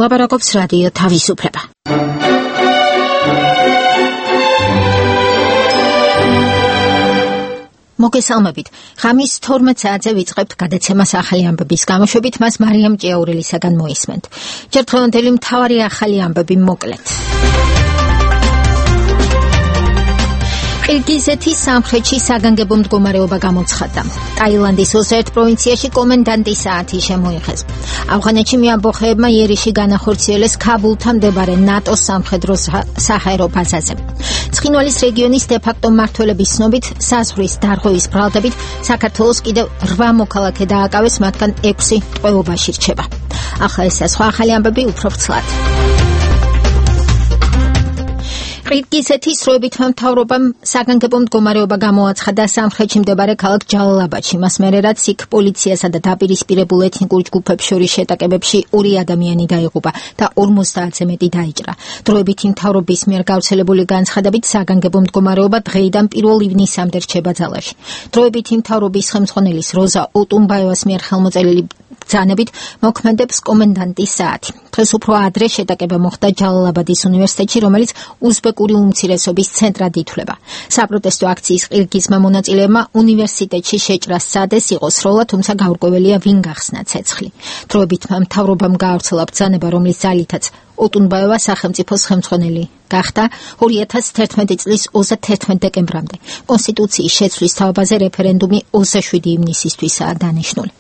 ლაპარაკობს რადიო თავისუფლება. მოგესალმებით. ღამის 12 საათზე ვიწყებთ გადაცემას ახალი ამბების გამოშვებით, მას მარიამ ჭიაურელისაგან მოისმენთ. ჯერ დღევანდელი მთავარი ახალი ამბები მოკლედ. ყირგიზეთის სამხრეთში საგანგებო მდგომარეობა გამოცხადდა. ტაილანდის 21 პროვინციაში კომენდანტის საათი შემოიღეს. ავღანეთში მეამბოხეებმა იერიში განახორციელეს ქაბულთან მდებარე ნატოს სამხედრო საჰაერო ბაზაზე. ცხინვალის რეგიონის დე-ფაქტო მმართველების ცნობით, საზღვრის დარღვევის ბრალდებით საქართველოს კიდევ 8 მოქალაქე დააკავეს, მათგან 6 ტყვეობაში რჩება. ახლა ეს სხვა ახალი ამბები უფრო ვრცლად. ყირგიზეთის როებითმა მთავრობამ საგანგებო მდგომარეობა გამოაცხადა სამხრეთში მდებარე ქალაქ ჯალალაბადში. მას მერე რაც იქ პოლიციასა და დაპირისპირებულ ეთნიკურ ჯგუფებს შორის შეტაკებებში 2 ადამიანი დაიღუპა და 50-ზე მეტი დაიჭრა. დროებითი მთავრობის მიერ გავრცელებული განცხადებით საგანგებო მდგომარეობა დღეიდან 1 ივნისამდე რჩება ძალაში. დროებითი მთავრობის ხელმძღვანელის როზა ოტუნბაევას მიერ ხელმოწერილი ბრძანებით მოქმედებს კომენდანტის საათი. დღეს უფრო ადრე შეტაკება მოხდა ჯალალაბადის უნივერსიტეტში, რომელიც უზბეკური უმცირესობის ცენტრად ითვლება. საპროტესტო აქციის ყირგიზმა მონაწილეებმა უნივერსიტეტში შეჭრა სცადეს, იყო სროლა, თუმცა გაურკვეველია ვინ გახსნა ცეცხლი. დროებითმა მთავრობამ გაავრცელა ბრძანება, რომლის ძალითაც ოტუნბაევა სახელმწიფოს ხელმძღვანელი გახდა 2011 წლის 31 დეკემბრამდე. კონსტიტუციის შეცვლის თაობაზე რეფერენდუმი 27 ივნისისთვისაა დანიშნული.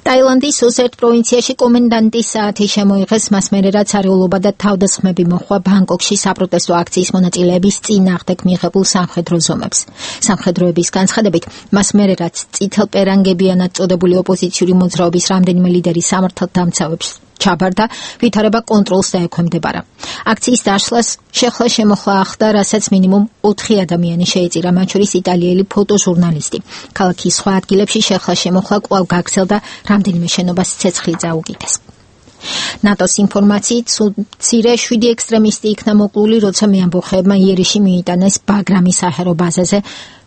ტაილანდის 21 პროვინციაში კომენდანტის საათი შემოიღეს, მას მერე რაც არეულობა და თავდასხმები მოჰყვა ბანგკოკში საპროტესტო აქციის მონაწილეების წინააღმდეგ მიიღებულ სამხედრო ზომებს. სამხედროების განცხადებით, მას მერე რაც წითელპერანგებიანად წოდებული ოპოზიციური მოძრაობის რამდენიმე ლიდერი სამართალდამცავებს ჩაბარდა, ვითარება კონტროლს დაექვემდებარა. აქციის დაშლას შეხლა-შემოხლა ახლდა, რასაც მინიმუმ 4 ადამიანი შეეწირა, მათ შორის იტალიელი ფოტოჟურნალისტი. ქალაქის სხვა ადგილებში შეხლა-შემოხლა კვლავ გაგრძელდა, რამდენიმე შენობას ცეცხლი წაუკიდეს. ნატოს ინფორმაციით, მცირე 7 ექსტრემისტი იქნა მოკლული, როცა მეამბოხეებმა იერიში მიიტანეს ბაგრამის საჰაერო ბაზაზე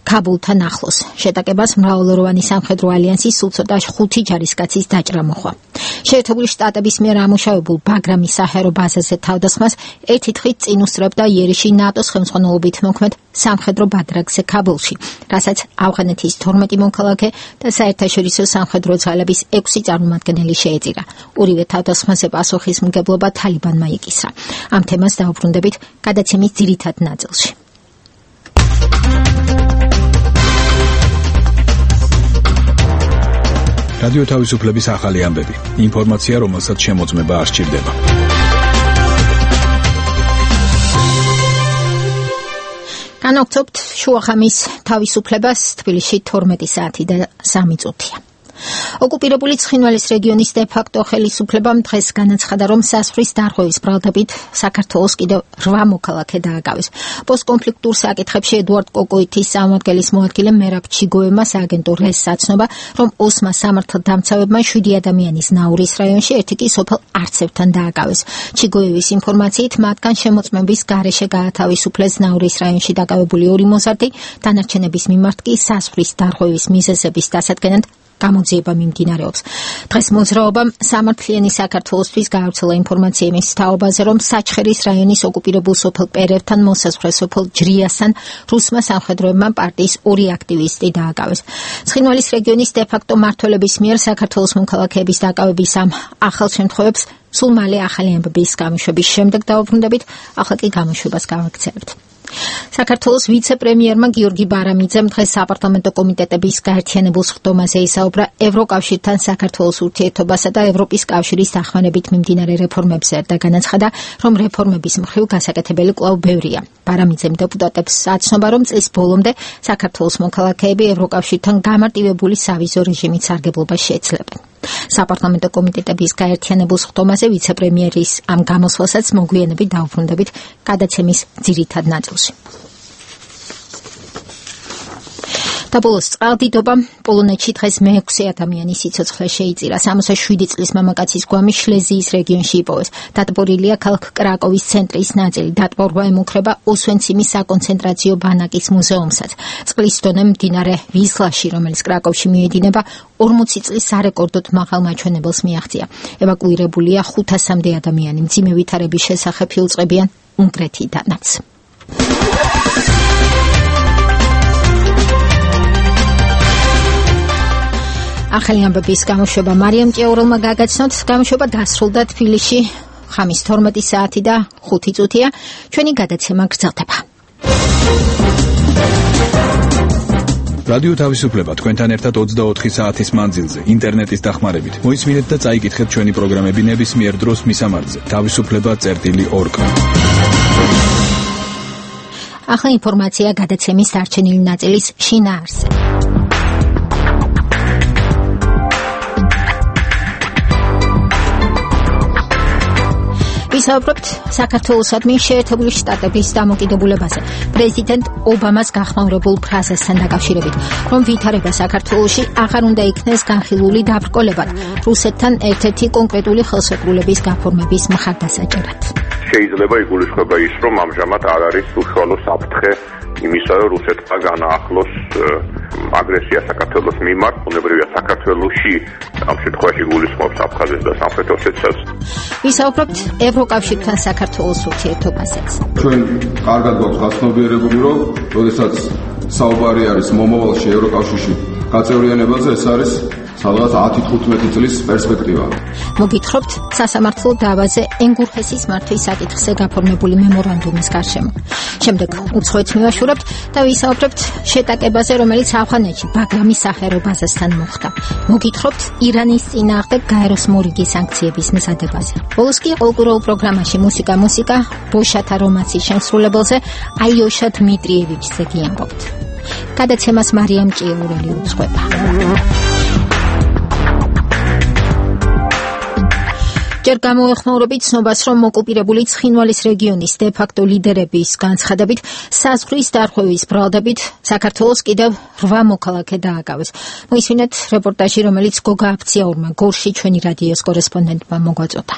ქაბულთან ახლოს. შეტაკებას მრავალროვანი სამხედრო ალიანსის სულ ცოტა 5 ჯარისკაცის დაჭრა მოჰყვა. შეერთებული შტატების მიერ ამუშავებულ ბაგრამის საჰაერო ბაზაზე თავდასხმას ერთი დღით წინ უსწრებდა იერიში ნატოს ხელმძღვანელობით მოქმედ სამხედრო ბადრაგზე ქაბულში, რასაც ავღანეთის 12 მოქალაქე და საერთაშორისო სამხედრო ძალების 6 წარმომადგენელი შეეწირა. ორივე თავდასხმაზე პასუხისმგებლობა თალიბანმა იკისრა. ამ თემას დავუბრუნდებით გადაცემის ძირითად ნაწილში. რადიო თავისუფლების ახალი ამბები. ინფორმაცია, რომელსაც შემოწმება არ სჭირდება. განაგრძობთ შუახამის თავისუფლებას, თბილისში 12 საათი და 3 წუთია. ოკუპირებული ცხინვალის რეგიონის დე-ფაქტო ხელისუფლებამ დღეს განაცხადა, რომ საზღვრის დარღვევის ბრალდებით საქართველოს კიდევ 8 მოქალაქე დააკავეს. პოსტკონფლიქტურ საკითხებში ედუარდ კოკოითის სამმართველის მოადგილე მერაბ ჩიგოევმა სააგენტო რეს საცნობა, რომ ოსმა სამართალდამცავებმა 7 ადამიანის ნაურის რაიონში, ერთი კი სოფელ არცევთან დააკავეს. ჩიგოევის ინფორმაციით, მათგან შემოწმების გარეშე გაათავისუფლეს ნაურის რაიონში დაკავებული 2 მოზარდი, დანარჩენების მიმართ კი საზღვრის დარღვევის მიზეზების დასადგენად გამოძიება მიმდინარეობს. დღეს მოძრაობამ სამართლიანი საქართველოსთვის გაავრცელა ინფორმაცია იმის თაობაზე, რომ საჩხერის რაიონის ოკუპირებულ სოფელ პერევთან მოსაზღვრე სოფელ ჯრიასთან რუსმა სამხედროებმა პარტიის 2 აქტივისტი დააკავეს. ცხინვალის რეგიონის დე-ფაქტო მმართველების მიერ საქართველოს მოქალაქეების დაკავების ამ ახალ შემთხვევებს სულ მალე ახალი ამბების გამოშვების შემდეგ დავუბრუნდებით, ახლა კი გამოშვებას გავაგრძელებთ. საქართველოს ვიცე-პრემიერმა გიორგი ბარამიძემ დღეს საპარლამენტო კომიტეტების გაერთიანებულ სხდომაზე ისაუბრა ევროკავშირთან საქართველოს ურთიერთობასა და ევროპის კავშირის დახმარებით მიმდინარე რეფორმებზე და განაცხადა, რომ რეფორმების მხრივ გასაკეთებელი კვლავ ბევრია. ბარამიძემ დეპუტატებს აცნობა, რომ წლის ბოლომდე საქართველოს მოქალაქეები ევროკავშირთან გამარტივებული სავიზო რეჟიმით სარგებლობას შეეძლებენ. საპარლამენტო კომიტეტების გაერთიანებულ სხდომაზე ვიცე-პრემიერის ამ გამოსვლასაც მოგვიანებით დავუბრუნდებით გადაცემის ძირითად ნაწილში. საბოლოოს წყალდიდობამ პოლონეთში დღეს მე-6 ადამიანის სიცოცხლე შეიწირა. 67 წლის მამაკაცის გვამი შლეზიის რეგიონში იპოვეს. დატბორილია ქალაქ კრაკოვის ცენტრის ნაწილი. დატბორვა ემუქრება ოსვენციმის საკონცენტრაციო ბანაკის მუზეუმსაც. წყლის დონე მდინარე ვისლაში, რომელიც კრაკოვში მიედინება, 40 წლის სარეკორდოდ მაღალ მაჩვენებელს მიაღწია. ევაკუირებულია 500-მდე ადამიანი. მძიმე ვითარების შესახებ იუწყებიან უნგრეთიდანაც. ახალი ამბების გამოშვება მარიამ ჭიაურელმა გაგაცნოთ. გამოშვება დასრულდა თბილისში ხამის 12 საათი და 5 წუთია. ჩვენი გადაცემა გრძელდება. რადიო თავისუფლება თქვენთან ერთად 24 საათის მანძილზე ინტერნეტის დახმარებით. მოისმინეთ და წაიკითხეთ ჩვენი პროგრამები ნებისმიერ დროს მისამართზე. თავისუფლება.org. ახლა ინფორმაცია გადაცემის დარჩენილი ნაწილის შინაარსზე. ვისაუბრებთ საქართველოსადმი შეერთებული შტატების დამოკიდებულებაზე. პრეზიდენტ ობამას გახმაურებულ ფრაზასთან დაკავშირებით, რომ ვითარება საქართველოში აღარ უნდა იქნეს განხილული დაბრკოლებად, რუსეთთან ერთ-ერთი კონკრეტული ხელშეკრულების გაფორმების მხარდასაჭერად. შეიძლება იგულისხმება ის, რომ ამჟამად არ არის უშუალო საფრთხე იმისა, რომ რუსეთმა განაახლოს აგრესია საქართველოს მიმართ, ბუნებრივია საქართველოში ამ შემთხვევაში გულისხმობს აფხაზეთს და სამხრეთ ოსეთიას. ვისაუბრებთ ევროკავშირთან საქართველოს ურთიერთობაზეც. ჩვენ კარგად გვაქვს გაცნობიერებული, რომ როდესაც საუბარი არის მომავალში ევროკავშირში გაწევრიანებაზე, ეს არის სადღაც 10-15 წლის პერსპექტივა. მოგითხრობთ სასამართლო დავაზე ენგურჰესის მართვის საკითხზე გაფორმებული მემორანდუმის გარშემო. შემდეგ უცხოეთს მივაშურებთ და ვისაუბრებთ შეტაკებაზე, რომელიც ავღანეთში ბაგრამის საჰაერო ბაზასთან მოხდა. მოგითხრობთ ირანის წინააღმდეგ გაეროს მორიგი სანქციების მზადებაზე. ბოლოს კი ყოველკვირეულ პროგრამაში მუსიკა, ბოშათა რომანსის შემსრულებელზე აიოშა დმიტრიევიჩზე გიამბობთ. გადაცემას მარიამ ჭიაურელი უძღვება. ჯერ გამოეხმაურებით ცნობას, რომ ოკუპირებული ცხინვალის რეგიონის დე-ფაქტო ლიდერების განცხადებით საზღვრის დარღვევის ბრალდებით საქართველოს კიდევ 8 მოქალაქე დააკავეს. მოისმინეთ რეპორტაჟი, რომელიც გოგა აფციაურმა გორში ჩვენი რადიოს კორესპონდენტმა მოგვაწოდა.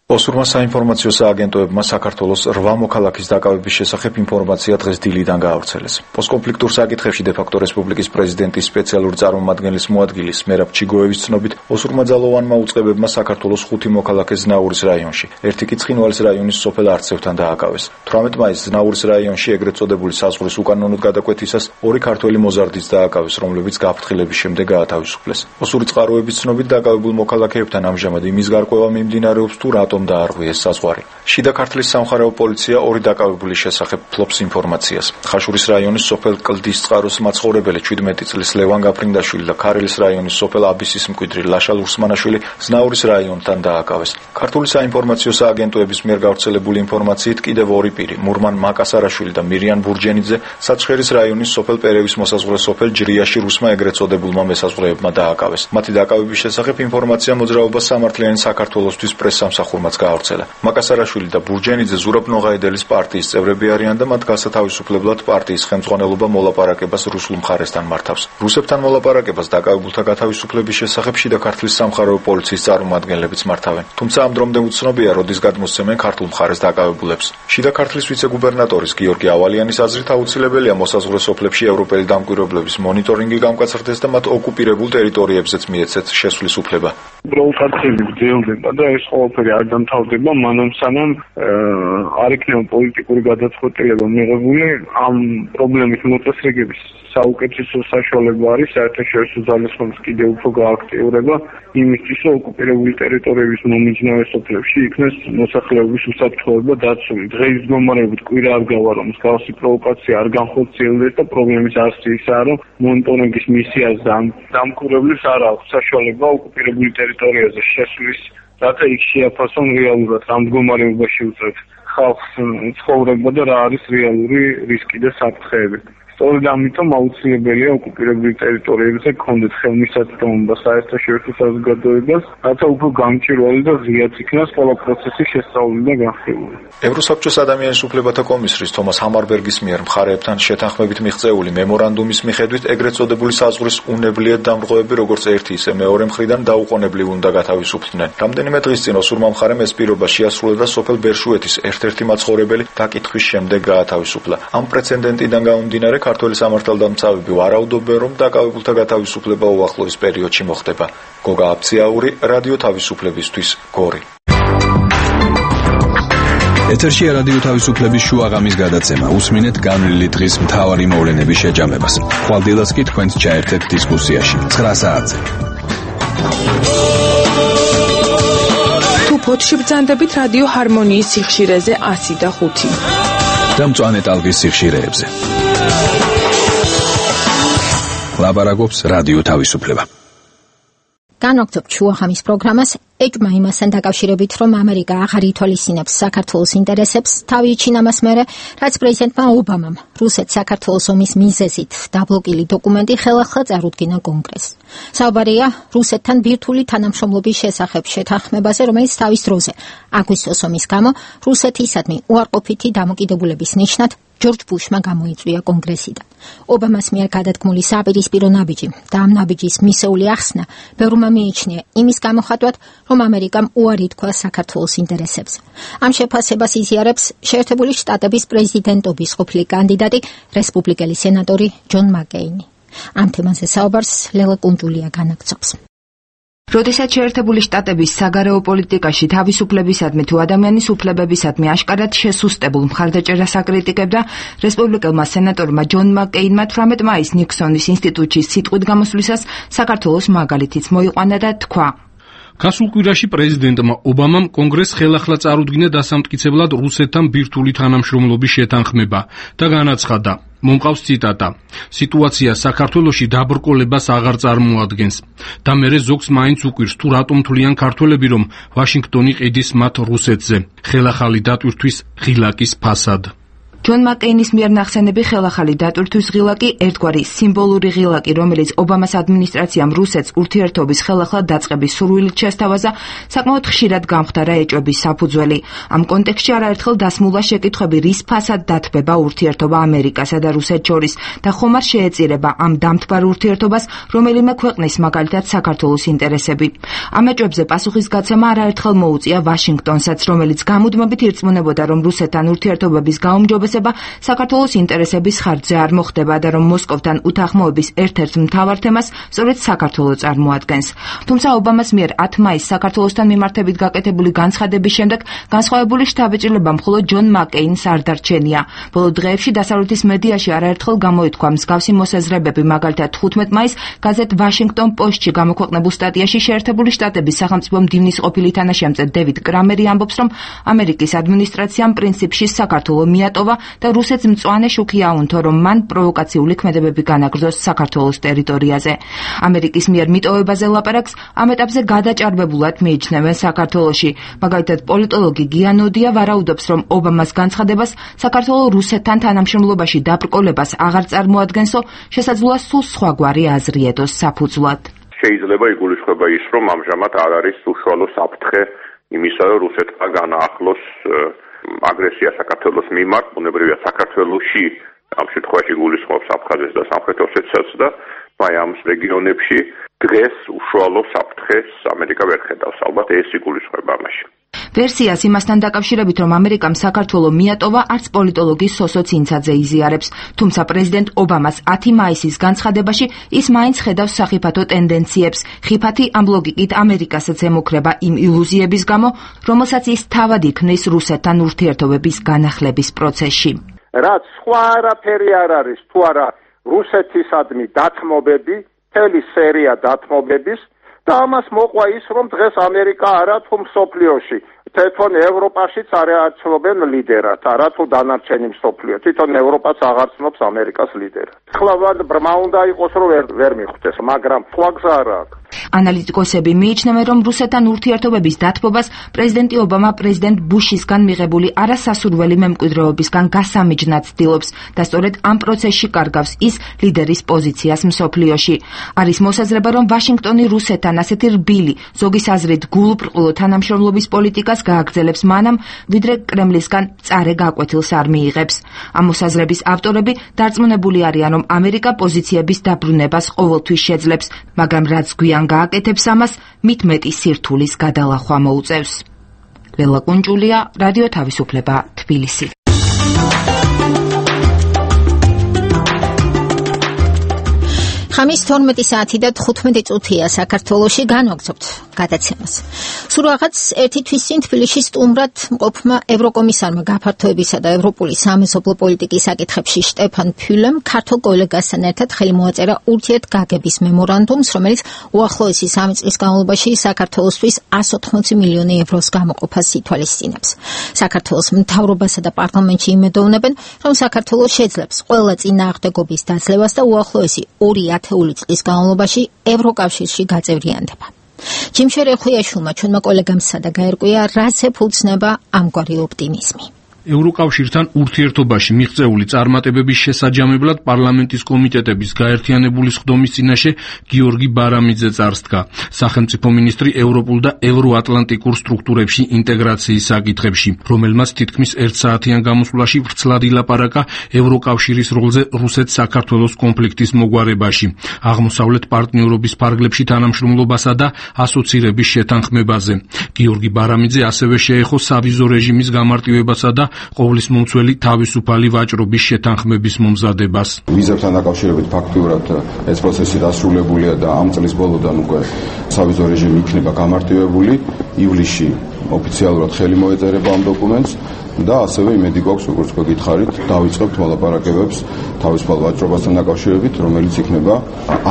ოსურმა საინფორმაციო სააგენტოებმა საქართველოს 8 მოქალაქის დაკავების შესახებ ინფორმაცია დღეს დილიდან გაავრცელეს. პოსტკონფლიქტურ საკითხებში დე-ფაქტო რესპუბლიკის პრეზიდენტის სპეციალური წარმომადგენლის მოადგილის მერაბ ჩიგოევის ცნობით, ოსურმა ძალოვანმა უწყებებმა საქართველოს 5 მოქალაქე ზნაურის რაიონში, ერთი კი ცხინვალის რაიონის სოფელ არცევთან დააკავეს. 18 მაისს ზნაურის რაიონში ეგრეთ წოდებული საზღვრის უკანონოდ გადაკვეთისას 2 ქართველი მოზარდიც დააკავეს, რომლებიც გაფრთხილების შემდეგ გაათავისუფლეს. ოსური წყაროების ცნობით დაკავებულ მოქალაქეებთან ამჟამად იმის გარკვევა მიმდინარეობს, თუ რატომ დაარღვიეს საზღვარი. შიდა ქართლის სამხარეო პოლიცია 2 დაკავებულის შესახებ ფლობს ინფორმაციას. ხაშურის რაიონის სოფელ კლდის წყაროს მაცხოვრებელი 17 წლის ლევან გაფრინდაშვილი და ქარელის რაიონის სოფელ აბისის მკვიდრი ლაშა ლურსმანაშვილი ზნაურის რაიონთან დააკავეს. ქართული საინფორმაციო სააგენტოების მიერ გავრცელებული ინფორმაციით კიდევ 2 პირი, მურმან მაკასარაშვილი და მირიან ბურჯენიძე, საჩხერის რაიონის სოფელ პერევის მოსაზღვრე სოფელ ჯრიაში რუსმა ეგრეთ წოდებულმა მესაზღვრეებმა დააკავეს. მათი დაკავების შესახებ ინფორმაცია მოძრაობა სამართლიანი საქართველოსთვის პრესსამსახურმა გაავრცელა. მაკასარაშვილი და ბურჯენიძე ზურაბ ნოღაიდელის პარტიის წევრები არიან და მათ გასათავისუფლებლად პარტიის ხელმძღვანელობა მოლაპარაკებას რუსულ მხარესთან მართავს. რუსებთან მოლაპარაკებას დაკავებულთა გათავისუფლების შესახებ შიდა ქართლის სამხარეო პოლიციის წარმომადგენლებიც მართავენ. თუმცა ამ დრომდე უცნობია, როდის გადმოსცემენ ქართულ მხარეს დაკავებულებს. შიდა ქართლის ვიცე-გუბერნატორის გიორგი ავალიანის აზრით აუცილებელია მოსაზღვრე სოფლებში ევროპელი დამკვირვებლების მონიტორინგი გამკაცრდეს და მათ ოკუპირებულ ტერიტორიებზეც მიეცეთ შესვლის უფლება. პროვოკაციები გრძელდება და ეს ყველაფერი არ დამთავრდება მანამ სანამ არ იქნება პოლიტიკური გადაწყვეტილება მიღებული ამ პრობლემის მოწესრიგების საუკეთესო საშუალება არის საერთაშორისო ძალისხმევის კიდევ უფრო გააქტიურება იმისთვის, რომ ოკუპირებული ტერიტორიების მომიჯნავე სოფლებში იქნეს მოსახლეობის უსაფრთხოება დაცული. დღეს მდგომარეობით კვირა არ გავა, რომ მსგავსი პროვოკაცია არ განხორციელდეს და პრობლემის არსი ისაა, რომ მონიტორინგის მისიას დამკვირვებლებს არ აქვს საშუალება ოკუპირებული ტერიტორიაზე შესვლის, რათა იქ შეაფასონ რეალურად ამ მდგომარეობაში უწევთ ხალხს ცხოვრება და რა არის რეალური რისკი და საფრთხეები. სწორედ ამიტომ აუცილებელია ოკუპირებულ ტერიტორიებზე გქონდეს ხელმისაწვდომობა საერთაშორისო საზოგადოებას, რათა უფრო გამჭვირვალე და ღიად იქნას ყველა პროცესი შესწავლილი და განხილული. ევროსაბჭოს ადამიანის უფლებათა კომისრის თომას ჰამარბერგის მიერ მხარეებთან შეთანხმებით მიღწეული მემორანდუმის მიხედვით ეგრეთ წოდებული საზღვრის უნებლიეთ დამრღვევები როგორც ერთი ისე მეორე მხრიდან დაუყოვნებლივ უნდა გათავისუფლდნენ. რამდენიმე დღის წინ ოსურმა მხარემ ეს პირობა შეასრულა და სოფელ ბერშუეთის ერთ-ერთი მაცხოვრებელი დაკითხვის შემდეგ გაათავისუფლა. ამ პრეცედენტიდან გამომდინარე ქართველი სამართალდამცავები ვარაუდობენ, რომ დაკავებულთა გათავისუფლება უახლოეს პერიოდში მოხდება. გოგა აფციაური, რადიო თავისუფლებისთვის, გორი. ეთერშია რადიო თავისუფლების შუაღამის გადაცემა. უსმინეთ განვლილი დღის მთავარი მოვლენების შეჯამებას. ხვალდილას კი თქვენს ჩაერთეთ დისკუსიაში 9 საათზე. თუ ფოთში ბრძანდებით რადიო ჰარმონიის სიხშირეზე 105 და მწვანე ტალღის სიხშირეებზე. ლაბარაკობს რადიო თავისუფლება. განვაგრძობთ შუაღამის პროგრამას ეჭვმა იმასთან დაკავშირებით, რომ ამერიკა აღარ ითვალისწინებს საქართველოს ინტერესებს, თავი იჩინა მას მერე, რაც პრეზიდენტმა ობამამ რუსეთს საქართველოს ომის მიზეზით დაბლოკილი დოკუმენტი ხელახლა წარუდგინა კონგრესს. საუბარია რუსეთთან ბირთვული თანამშრომლობის შესახებ შეთანხმებაზე, რომელიც თავის დროზე აგვისტოს ომის გამო რუსეთისადმი უარყოფითი დამოკიდებულების ნიშნად ჯორჯ ბუშმა გამოიწვია კონგრესიდან. ობამას მიერ გადადგმული საპირისპირო ნაბიჯი და ამ ნაბიჯის მისეული ახსნა ბევრმა მიიჩნია იმის გამოხატვად, რომ ამერიკამ უარი თქვა საქართველოს ინტერესებზე. ამ შეფასებას იზიარებს შეერთებული შტატების პრეზიდენტობის ყოფილი კანდიდატი, რესპუბლიკელი სენატორი ჯონ მაკეინი. ამ თემაზე საუბარს ლელა კუნჯულია განაგრძობს. როდესაც შეერთებული შტატების საგარეო პოლიტიკაში თავისუფლებისადმი თუ ადამიანის უფლებებისადმი აშკარად შესუსტებულ მხარდაჭერას აკრიტიკებდა, რესპუბლიკელმა სენატორმა ჯონ მაკეინმა 18 მაისს ნიქსონის ინსტიტუტში სიტყვით გამოსვლისას საქართველოს მაგალითიც მოიყვანა და თქვა: გასულ კვირაში პრეზიდენტმა ობამამ კონგრესს ხელახლა წარუდგინა დასამტკიცებლად რუსეთთან ბირთვული თანამშრომლობის შეთანხმება და განაცხადა: მომყავს ციტატა: სიტუაცია საქართველოში დაბრკოლებას აღარ წარმოადგენს და მერე ზოგს მაინც უკვირს თუ რატომ თვლიან ქართველები, რომ ვაშინგტონი ყიდის მათ რუსეთზე ხელახალი დატვირთვის ღილაკის ფასად. ჯონ მაკეინის მიერ ნახსენები ხელახალი დატვირთვის ღილაკი ერთგვარი სიმბოლური ღილაკი, რომელიც ობამას ადმინისტრაციამ რუსეთს ურთიერთობის ხელახლა დაწყების სურვილით შესთავაზა, საკმაოდ ხშირად გამხდარა ეჭვების საფუძველი. ამ კონტექსტში არაერთხელ დასმულა შეკითხვები, რის ფასად დათბება ურთიერთობა ამერიკასა და რუსეთს შორის და ხომ არ შეეწირება ამ დამთბარ ურთიერთობას რომელიმე ქვეყნის, მაგალითად საქართველოს ინტერესები. ამ ეჭვებზე პასუხისგაცემა არაერთხელ მოუწია ვაშინგტონსაც, რომელიც გამუდმებით ირწმუნებოდა, რომ რუსეთთან ურთიერთობების გაუმჯობესება საქართველოს ინტერესების ხარჯზე არ მოხდება და რომ მოსკოვთან უთანხმოების ერთ-ერთ მთავარ თემას სწორედ საქართველო წარმოადგენს. თუმცა ობამას მიერ 10 მაისს საქართველოსთან მიმართებით გაკეთებული განცხადების შემდეგ განსხვავებული შთაბეჭდილება მხოლოდ ჯონ მაკეინს არ დარჩენია. ბოლო დღეებში დასავლეთის მედიაში არაერთხელ გამოითქვა მსგავსი მოსაზრებები, მაგალითად 15 მაისს გაზეთ ვაშინგტონ პოსტში გამოქვეყნებულ სტატიაში შეერთებული შტატების სახელმწიფო მდივნის ყოფილი თანაშემწე დევიდ კრამერი ამბობს, რომ ამერიკის ადმინისტრაციამ პრინციპში საქართველო მიატოვა და რუსეთს მწვანე შუქი აუნთო, რომ მან პროვოკაციული ქმედებები განაგრძოს საქართველოს ტერიტორიაზე. ამერიკის მიერ მიტოვებაზე ლაპარაკს ამ ეტაპზე გადაჭარბებულად მიიჩნევენ საქართველოში. მაგალითად, პოლიტოლოგი გიანოდია ვარაუდობს, რომ ობამას განცხადებას საქართველო რუსეთთან თანამშრომლობაში დაბრკოლებას აღარ წარმოადგენსო, შესაძლოა სულ სხვაგვარი აზრი ედოს საფუძვლად. შეიძლება იგულისხმება ის, რომ ამჟამად არ არის უშუალო საფრთხე იმისა, რომ რუსეთმა განაახლოს აგრესია საქართველოს მიმართ, ბუნებრივია საქართველოში ამ შემთხვევაში გულისხმობს აფხაზეთს და სამხრეთ ოსეთიას და აი ამ რეგიონებში დღეს უშუალო საფრთხეს ამერიკა ვერ ხედავს. ალბათ ეს იგულისხმება ამაში. ვერსიას იმასთან დაკავშირებით, რომ ამერიკამ საქართველო მიატოვა, არც პოლიტოლოგი სოსო ცინცაძე იზიარებს. თუმცა პრეზიდენტ ობამას 10 მაისის განცხადებაში ის მაინც ხედავს სახიფათო ტენდენციებს. ხიფათი ამ ლოგიკით ამერიკასაც ემუქრება იმ ილუზიების გამო, რომელსაც ის თავად იქნის რუსეთთან ურთიერთობების განახლების პროცესში. რაც სხვა არაფერი არ არის, თუ არა რუსეთისადმი დათმობები, მთელი სერია დათმობების და ამას მოყვა ის, რომ დღეს ამერიკა არა თუ მსოფლიოში, თვითონ ევროპაშიც არ არცნობენ ლიდერად, არა თუ დანარჩენი მსოფლიო, თვითონ ევროპაც აღარ ცნობს ამერიკას ლიდერად. ხლა ბრმა უნდა იყოს, რომ ვერ მიხვდეს, მაგრამ სხვა გზა არ აქვს. ანალიტიკოსები მიიჩნევენ, რომ რუსეთთან ურთიერთობების დათბობას პრეზიდენტი ობამა პრეზიდენტ ბუშისგან მიღებული არასასურველი მემკვიდრეობისგან გასამიჯნად ცდილობს და სწორედ ამ პროცესში კარგავს ის ლიდერის პოზიციას მსოფლიოში. არის მოსაზრება, რომ ვაშინგტონი რუსეთთან ასეთი რბილი, ზოგის აზრით გულუბრყვილო თანამშრომლობის პოლიტიკას გააგრძელებს მანამ, ვიდრე კრემლისგან მწარე გაკვეთილს არ მიიღებს. ამ მოსაზრების ავტორები დარწმუნებული არიან, რომ ამერიკა პოზიციების დაბრუნებას ყოველთვის შეძლებს, მაგრამ რაც გვიან გააკეთებს ამას, მით მეტი სირთულის გადალახვა მოუწევს. ლელა კუნჭულია, რადიო თავისუფლება, თბილისი. ხამის 12 საათი და 15 წუთია საქართველოში განვაგრძობთ გადაცემას. სულ რაღაც ერთი თვის წინ თბილისში სტუმრად მყოფმა ევროკომისარმა გაფართოებისა და ევროპული სამეზობლო პოლიტიკის საკითხებში შტეფან ფიულემ ქართულ კოლეგასთან ერთად ხელი მოაწერა ურთიერთგაგების მემორანდუმს, რომელიც უახლოესი 3 წლის განმავლობაში საქართველოსთვის 180 მილიონი ევროს გამოყოფას ითვალისწინებს. საქართველოს მთავრობასა და პარლამენტში იმედოვნებენ, რომ საქართველოს შეძლებს ყველა წინააღმდეგობის დაძლევას და უახლოესი 2 წლის განმავლობაში ევროკავშირში გაწევრიანდება. ჯიმშერ ხვიაშვილმა ჩვენმა კოლეგამ სადა გაერკვია, რაც ეფუძნება ამგვარი ოპტიმიზმი. ევროკავშირთან ურთიერთობაში მიღწეული წარმატებების შესაჯამებლად პარლამენტის კომიტეტების გაერთიანებული სხდომის წინაშე გიორგი ბარამიძე წარსდგა. სახელმწიფო მინისტრი ევროპულ და ევროატლანტიკურ სტრუქტურებში ინტეგრაციის საკითხებში, რომელმაც თითქმის 1 საათიან გამოსვლაში ვრცლად ილაპარაკა ევროკავშირის როლზე რუსეთ-საქართველოს კონფლიქტის მოგვარებაში, აღმოსავლეთ პარტნიორობის ფარგლებში თანამშრომლობასა და ასოცირების შეთანხმებაზე. გიორგი ბარამიძე ასევე შეეხო სავიზო რეჟიმის გამარტივებასა და ყოვლის მომცველი თავისუფალი ვაჭრობის შეთანხმების მომზადებას. ვიზებთან დაკავშირებით ფაქტიურად ეს პროცესი დასრულებულია და ამ წლის ბოლოდან უკვე სავიზო რეჟიმი იქნება გამარტივებული. ივლისში ოფიციალურად ხელი მოეწერება ამ დოკუმენტს და ასევე იმედი გვაქვს, როგორც გითხარით, დავიწყებთ მოლაპარაკებებს თავისუფალ ვაჭრობასთან დაკავშირებით, რომელიც იქნება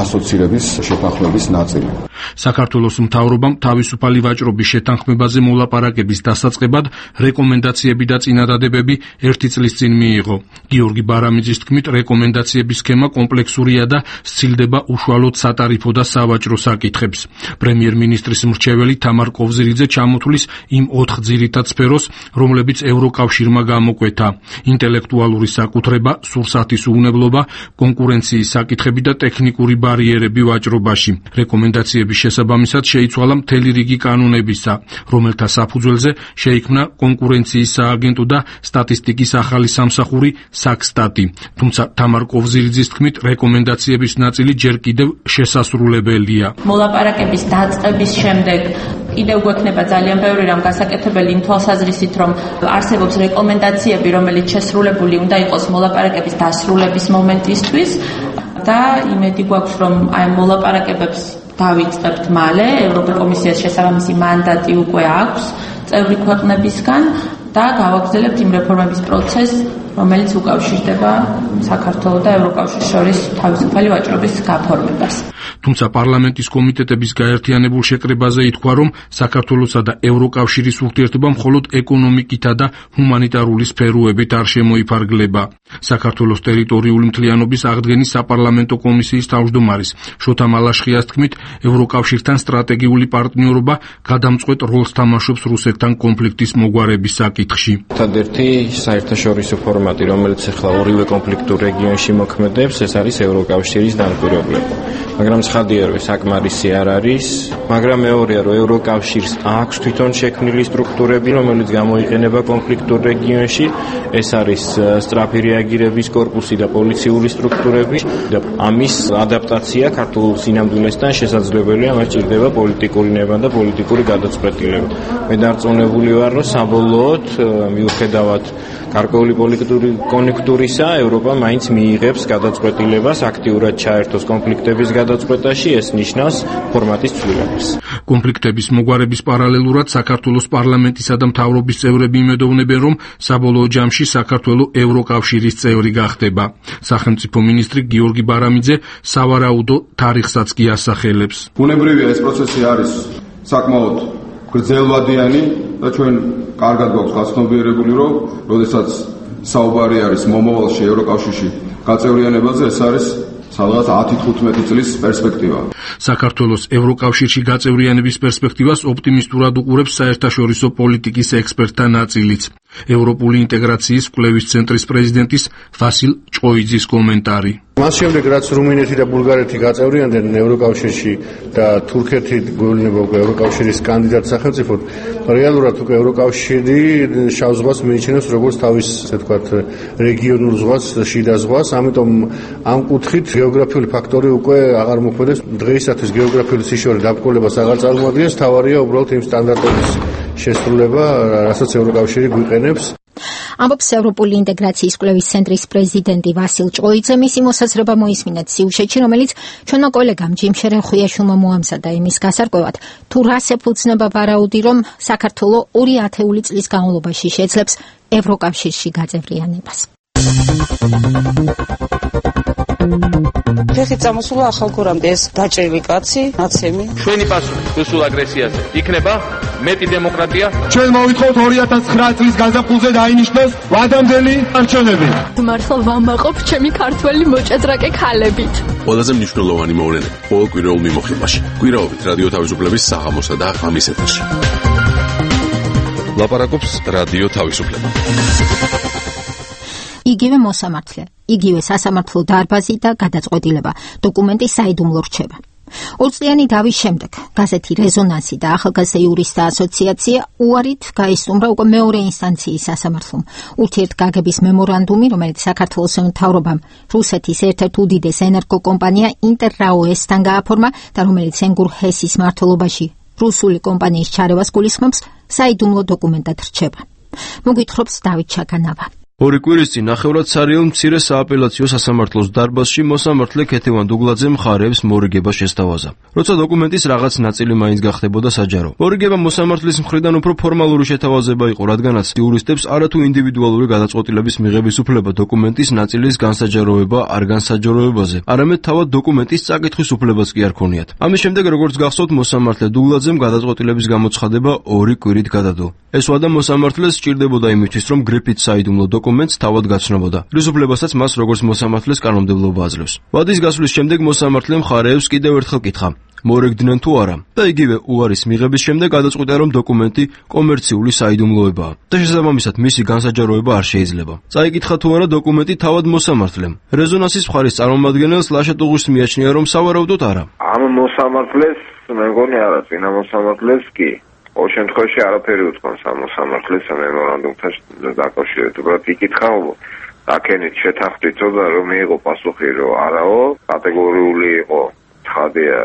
ასოცირების შეთანხმების ნაწილი. საქართველოს მთავრობამ თავისუფალი ვაჭრობის შეთანხმებაზე მოლაპარაკების დასაწყებად რეკომენდაციები და წინადადებები 1 წლის წინ მიიღო. გიორგი ბარამიძის თქმით, რეკომენდაციების სქემა კომპლექსურია და სცილდება უშუალოდ სატარიფო და სავაჭრო საკითხებს. პრემიერ-მინისტრის მრჩეველი თამარ კოვზირიძე ჩამოთვლის იმ 4 ძირითად სფეროს, რომლებიც ევროკავშირმა გამოკვეთა: ინტელექტუალური საკუთრება, სურსათის უვნებლობა, კონკურენციის საკითხები და ტექნიკური ბარიერები ვაჭრობაში. რეკომენდაციების შესაბამისად შეიცვალა მთელი რიგი კანონებისა, რომელთა საფუძველზე შეიქმნა კონკურენციის სააგენტო და სტატისტიკის ახალი სამსახური საქსტატი. თუმცა თამარ კოვზირიძის თქმით, რეკომენდაციების ნაწილი ჯერ კიდევ შესასრულებელია. მოლაპარაკების დაწყების შემდეგ კიდევ გვექნება ძალიან ბევრი რამ გასაკეთებელი იმ თვალსაზრისით, რომ არსებობს რეკომენდაციები, რომელიც შესრულებული უნდა იყოს მოლაპარაკების დასრულების მომენტისთვის და იმედი გვაქვს, რომ აი მოლაპარაკებებს დავიწყებთ მალე. ევროკომისიას შესაბამისი მანდატი უკვე აქვს წევრი ქვეყნებისგან და გავაგრძელებთ იმ რეფორმების პროცესს, რომელიც უკავშირდება საქართველოს და ევროკავშირის შორის თავისუფალი ვაჭრობის გაფორმებას. თუმცა პარლამენტის კომიტეტების გაერთიანებულ შეკრებაზე ითქვა, რომ საქართველოსა და ევროკავშირის ურთიერთობა მხოლოდ ეკონომიკითა და ჰუმანიტარული სფეროებით არ შემოიფარგლება. საქართველოს ტერიტორიული მთლიანობის აღდგენის საპარლამენტო კომისიის თავმჯდომარის შოთა მალაშხიას თქმით, ევროკავშირთან სტრატეგიული პარტნიორობა გადამწყვეტ როლს თამაშობს რუსეთთან კონფლიქტის მოგვარების საკითხში. ერთადერთი საერთაშორისო ფორმატი, რომელიც ახლა ორივე კონფლიქტურ რეგიონში მოქმედებს, ეს არის ევროკავშირის დამკვირვებლება. მაგრამ ცხადია, რომ საკმარისი არ არის, მაგრამ მეორეა, რომ ევროკავშირს აქვს თვითონ შექმნილი სტრუქტურები, რომელიც გამოიყენება კონფლიქტურ რეგიონში, ეს არის სწრაფი რეაგირების კორპუსი და პოლიციური სტრუქტურები და ამის ადაპტაცია ქართულ სინამდვილესთან შესაძლებელია, მას ჭირდება პოლიტიკური ნება და პოლიტიკური გადაწყვეტილება. მე დარწმუნებული ვარ, რომ საბოლოოდ მიუხედავად გარკვეული პოლიტიკური კონექტურისა, ევროპა მაინც მიიღებს გადაწყვეტილებას აქტიურად ჩაერთოს კონფლიქტების გადაწყვეტაში, ეს ნიშნავს ფორმატის ცვლილებას. კონფლიქტების მოგვარების პარალელურად საქართველოს პარლამენტისა და მთავრობის წევრები იმედოვნებენ, რომ საბოლოო ჯამში საქართველოს ევროკავშირის წევრი გახდება. სახელმწიფო მინისტრი გიორგი ბარამიძე სავარაუდო თარიღსაც კი ასახელებს. ბუნებრივია, ეს პროცესი არის საკმაოდ გრძელვადიანი და ჩვენ კარგად გვაქვს გაცნობიერებული, რომ როდესაც საუბარი არის მომავალში ევროკავშირში გაწევრიანებაზე, ეს არის სადღაც 10-15 წლის პერსპექტივა. საქართველოს ევროკავშირში გაწევრიანების პერსპექტივას ოპტიმისტურად უყურებს საერთაშორისო პოლიტიკის ექსპერტთა ნაწილიც. ევროპული ინტეგრაციის კვლევის ცენტრის პრეზიდენტის ვასილ ჭოიძის კომენტარი. მას შემდეგ რაც რუმინეთი და ბულგარეთი გაწევრიანდნენ ევროკავშირში და თურქეთი გვეუბნება უკვე ევროკავშირის კანდიდატ სახელმწიფოდ, რეალურად უკვე ევროკავშირი შავ ზღვას მიიჩნევს როგორც თავის, ასე ვთქვათ, რეგიონულ ზღვას, შიდა ზღვას, ამიტომ ამ კუთხით გეოგრაფიული ფაქტორი უკვე აღარ მოქმედებს. დღეისათვის გეოგრაფიული სიშორე დაბრკოლებას აღარ წარმოადგენს, თავარია უბრალოდ იმ სტანდარტების შესრულება, რასაც ევროკავშირი გვიყენებს. ამბობს ევროპული ინტეგრაციის კვლევის ცენტრის პრეზიდენტი ვასილ ჭოიძე. მისი მოსაზრება მოისმინეთ სიუჟეტში, რომელიც ჩვენო კოლეგამ ჯიმ შერეხუიაშვილმა მოამზადა იმის გასარკვევად, თუ რას ეფუძნება ვარაუდი, რომ საქართველო 2 ათეული წლის განმავლობაში შეძლებს ევროკავშირში გაწევრიანებას. ფეხით წამოსულა ახალგორამდე ეს დაჭრილი კაცი, ნაცემი. ჩვენი პასუხი რუსულ აგრესიაზე იქნება მეტი დემოკრატია. ჩვენ მოვითხოვთ 2009 წლის გაზაფხულზე დაინიშნოს ვადამდელი არჩევნები. მართლა ვამაყობ ჩემი ქართველი მოჭადრაკე ქალებით. ყველაზე მნიშვნელოვანი მოვლენები ყოველ კვირაულ მიმოხილვაში. კვირაობით რადიო თავისუფლების საღამოსა და ღამის ეთერში. ლაპარაკობს რადიო თავისუფლება. იგივე მოსამართლე, იგივე სასამართლო დარბაზი და გადაწყვეტილება, დოკუმენტი საიდუმლო რჩება. 2 წლიანი დავის შემდეგ გაზეთი რეზონანსი და ახალგაზრდა იურისტთა ასოციაცია უარით გაისტუმრა უკვე მეორე ინსტანციის სასამართლომ. ურთიერთგაგების მემორანდუმი, რომელიც საქართველოს მთავრობამ რუსეთის ერთ-ერთ უდიდეს ენერგოკომპანია ინტერრაო-ესთან გააფორმა და რომელიც ენგურ ჰესის მმართველობაში რუსული კომპანიის ჩარევას გულისხმობს, საიდუმლო დოკუმენტად რჩება. მოგვითხრობს დავით ჩაგანავა. 2 კვირის წინ ნახევრად სარიელ მცირე სააპელაციო სასამართლოს დარბაზში მოსამართლე ქეთევან დუგლაძე მხარეებს მორიგება შესთავაზა. როცა დოკუმენტის რაღაც ნაწილი მაინც გახდებოდა საჯარო. მორიგება მოსამართლის მხრიდან უფრო ფორმალური შეთავაზება იყო, რადგანაც იურისტებს არათუ ინდივიდუალური გადაწყვეტილების მიღების უფლება დოკუმენტის ნაწილის განსაჯაროება არ განსაჯაროებაზე, არამედ თავად დოკუმენტის წაკითხვის უფლებაც კი არ ქონიათ. ამის შემდეგ, როგორც გახსოვთ, მოსამართლე დუგლაძემ გადაწყვეტილების გამოცხადება 2 კვირით გადადო. ეს ვადა მოსამართლეს სჭირდებოდა იმისთვის, რომ გრიფით საიდუმლო დოკუმენტს თავად გაცნობოდა. რის უფლებასაც მას როგორც მოსამართლეს კანონმდებლობა აძლევს. ვადის გასვლის შემდეგ მოსამართლემ მხარეებს კიდევ ერთხელ კითხა, მოერგდნენ თუ არა და იგივე უარის მიღების შემდეგ გადაწყვიტა, რომ დოკუმენტი კომერციული საიდუმლოებაა და შესაბამისად მისი განსაჯაროება არ შეიძლება. წაიკითხა თუ არა დოკუმენტი თავად მოსამართლემ. რეზონანსის მხარის წარმომადგენელს ლაშა ტუღუშს მიაჩნია, რომ სავარაუდოდ არა. ამ მოსამართლეს მეგონი არა, წინა მოსამართლეს კი. ყოველ შემთხვევაში არაფერი უთქვამს ამ მოსამართლეს მემორანდუმთან დაკავშირებით. უბრალოდ იკითხა, აქენით შეთანხმდითო და რომ მიიღო პასუხი, რომ არაო, კატეგორიული იყო ცხადია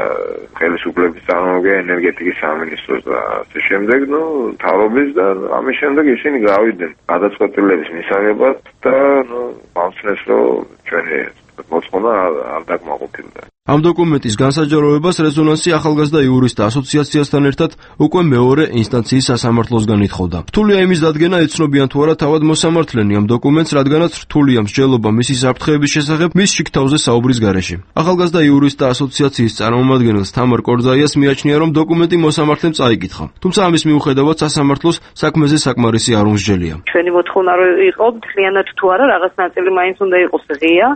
ხელისუფლების წარმომადგენელი ენერგეტიკის სამინისტროს და ასე შემდეგ, მთავრობის და ამის შემდეგ ისინი გავიდნენ გადაწყვეტილების მისაღებად და ამცნეს, რომ ჩვენი მოწმობა არ დაკმაყოფილდა. ამ დოკუმენტის განსაჯაროებას რეზონანსი ახალგაზრდა იურისტთა ასოციაციასთან ერთად უკვე მეორე ინსტანციის სასამართლოსგან ითხოვდა. რთულია იმის დადგენა, ეცნობიან თუ არა თავად მოსამართლენი ამ დოკუმენტს, რადგანაც რთულია მსჯელობა მისი საფრთხეების შესახებ მის შიგთავზე საუბრის გარეშე. ახალგაზრდა იურისტთა ასოციაციის წარმომადგენელს თამარ კორძაიას მიაჩნია, რომ დოკუმენტი მოსამართლემ წაიკითხა. თუმცა ამის მიუხედავად სასამართლოს საქმეზე საკმარისი არ უმსჯელია. ჩვენი მოთხოვნა რო იყო მთლიანად თუ არა რაღაც ნაწილი მაინც უნდა იყოს ღია,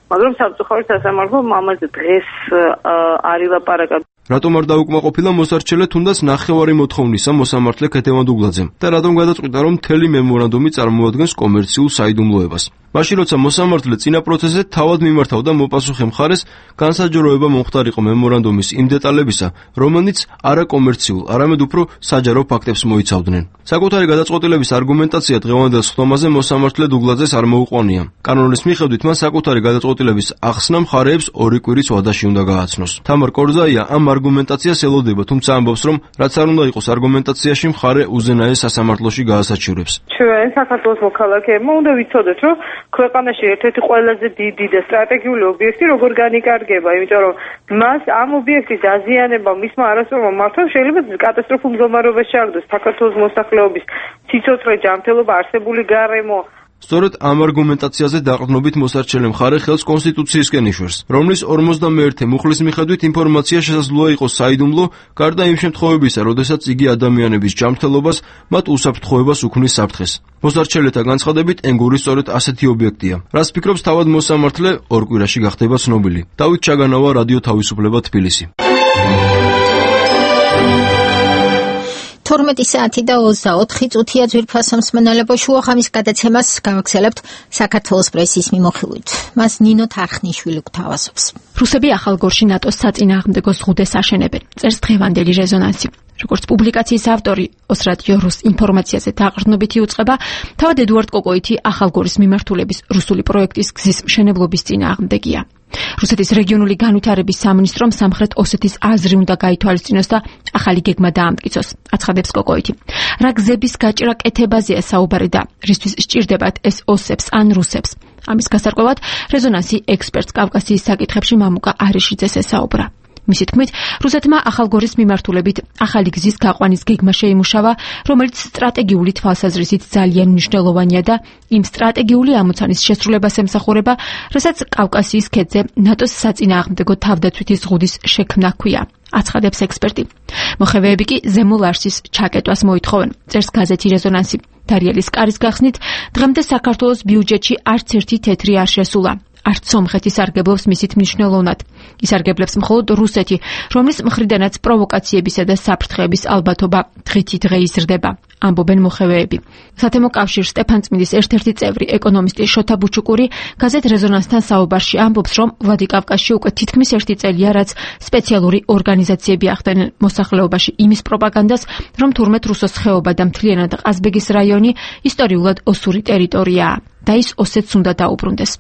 მაგრამ სამწუხაროდ სასამართლომ ამაზე დღეს არ ილაპარაკა. რატომ არ დაუკმაყოფილა მოსარჩელე თუნდაც ნახევარი მოთხოვნისა მოსამართლე ქეთევან დუგლაძემ და რატომ გადაწყვიტა, რომ მთელი მემორანდუმი წარმოადგენს კომერციულ საიდუმლოებას? მაშინ როცა მოსამართლე წინა პროცესზე თავად მიმართავდა მოპასუხე მხარეს, განსაჯაროება მომხდარიყო მემორანდუმის იმ დეტალებისა, რომელიც არაკომერციულ, არამედ უფრო საჯარო ფაქტებს მოიცავდნენ. საკუთარი გადაწყვეტილების არგუმენტაცია დღევანდელ სხდომაზე მოსამართლე დუგლაძეს არ მოუყვანია. კანონის მიხედვით მან საკუთარი გადაწყვეტილების ახსნა მხარეებს 2 კვირის ვადაში უნდა გააცნოს. თამარ კორძაია ამ არგუმენტაციას ელოდება, თუმცა ამბობს, რომ რაც არ უნდა იყოს არგუმენტაციაში, მხარე უზენაეს სასამართლოში გაასაჩივრებს. ჩვენ საქართველოს მოქალაქეებმა უნდა ვიცოდეთ, რომ ქვეყანაში ერთ-ერთი ყველაზე დიდი და სტრატეგიული ობიექტი როგორ განიკარგება, იმიტომ რომ მას ამ ობიექტის დაზიანება მისმა არასწორმა მართვამ შეიძლება კატასტროფულ მდგომარეობაში ჩააგდოს საქართველოს მოსახლეობის სიცოცხლე, ჯანმრთელობა, არსებული გარემო, სწორედ ამ არგუმენტაციაზე დაყრდნობით მოსარჩელე მხარე ხელს კონსტიტუციისკენ იშვერს, რომლის 51 მუხლის მიხედვით ინფორმაცია შესაძლოა იყოს საიდუმლო, გარდა იმ შემთხვევებისა, როდესაც იგი ადამიანების ჯანმრთელობას, მათ უსაფრთხოებას უქმნის საფრთხეს. მოსარჩელეთა განცხადებით, ენგური სწორედ ასეთი ობიექტია. რას ფიქრობს თავად მოსამართლე, ორ კვირაში გახდება ცნობილი. დავით ჩაგანავა, რადიო თავისუფლება, თბილისი. 12 საათი და 24 წუთია ძვირფასო მსმენელებო, შუახამის გადაცემას გავაგზავნებთ საქართველოს პრესის მიმოხილვით. მას ნინო თარხნიშვილი გვთავაზობს. რუსები ახალგორში ნატოს საწინააღმდეგო ზღუდეს აშენებენ. წერს დღევანდელი რეზონანსი. როგორც პუბლიკაციის ავტორი ოსრადიო რუს ინფორმაციაზე დაყრდნობითი უწყება, თავად ედუარდ კოკოიტი ახალგორის მიმართულების რუსული პროექტის გზის მშენებლობის წინააღმდეგია. რუსეთის რეგიონული განვითარების სამინისტრომ სამხრეთ ოსეთის აზრი უნდა გაითვალისწინოს და ახალი გეგმა დაამტკიცოს, აცხადებს კოკოიტი. რა გზების გაჭრა კეთებაზეა საუბარი და რისთვის სჭირდებათ ეს ოსებს ან რუსებს. ამის გასარკვევად რეზონანსი ექსპერტს კავკასიის საკითხებში მამუკა არიშიძეს ესაუბრა. მისი თქმით, რუსეთმა ახალგორის მიმართულებით ახალი გზის გაყვანის გეგმა შეიმუშავა, რომელიც სტრატეგიული თვალსაზრისით ძალიან მნიშვნელოვანია და იმ სტრატეგიული ამოცანის შესრულებას ემსახურება, რასაც კავკასიის ქედზე ნატოს საწინააღმდეგო თავდაცვითი ზღუდის შექმნა ჰქვია, აცხადებს ექსპერტი. მოხევეები კი ზემო ლარსის ჩაკეტვას მოითხოვენ, წერს გაზეთი რეზონანსი. დარიელის კარის გახსნით, დღემდე საქართველოს ბიუჯეტში არც ერთი თეთრი არ შესულა. არც სომხეთი სარგებლობს მისით მნიშვნელოვნად. ისარგებლებს მხოლოდ რუსეთი, რომლის მხრიდანაც პროვოკაციებისა და საფრთხეების ალბათობა დღითიდღე იზრდება, ამბობენ მოხევეები. სათემო კავშირ სტეფანწმინდის ერთ-ერთი წევრი ეკონომისტი შოთა ბუჩუკური გაზეთ რეზონანსთან საუბარში ამბობს, რომ ვლადიკავკაზში უკვე თითქმის ერთი წელია, რაც სპეციალური ორგანიზაციები ახდენენ მოსახლეობაში იმის პროპაგანდას, რომ თურმე რუსოს ხეობა და მთლიანად ყაზბეგის რაიონი ისტორიულად ოსური ტერიტორიაა და ის ოსეთს უნდა დაუბრუნდეს.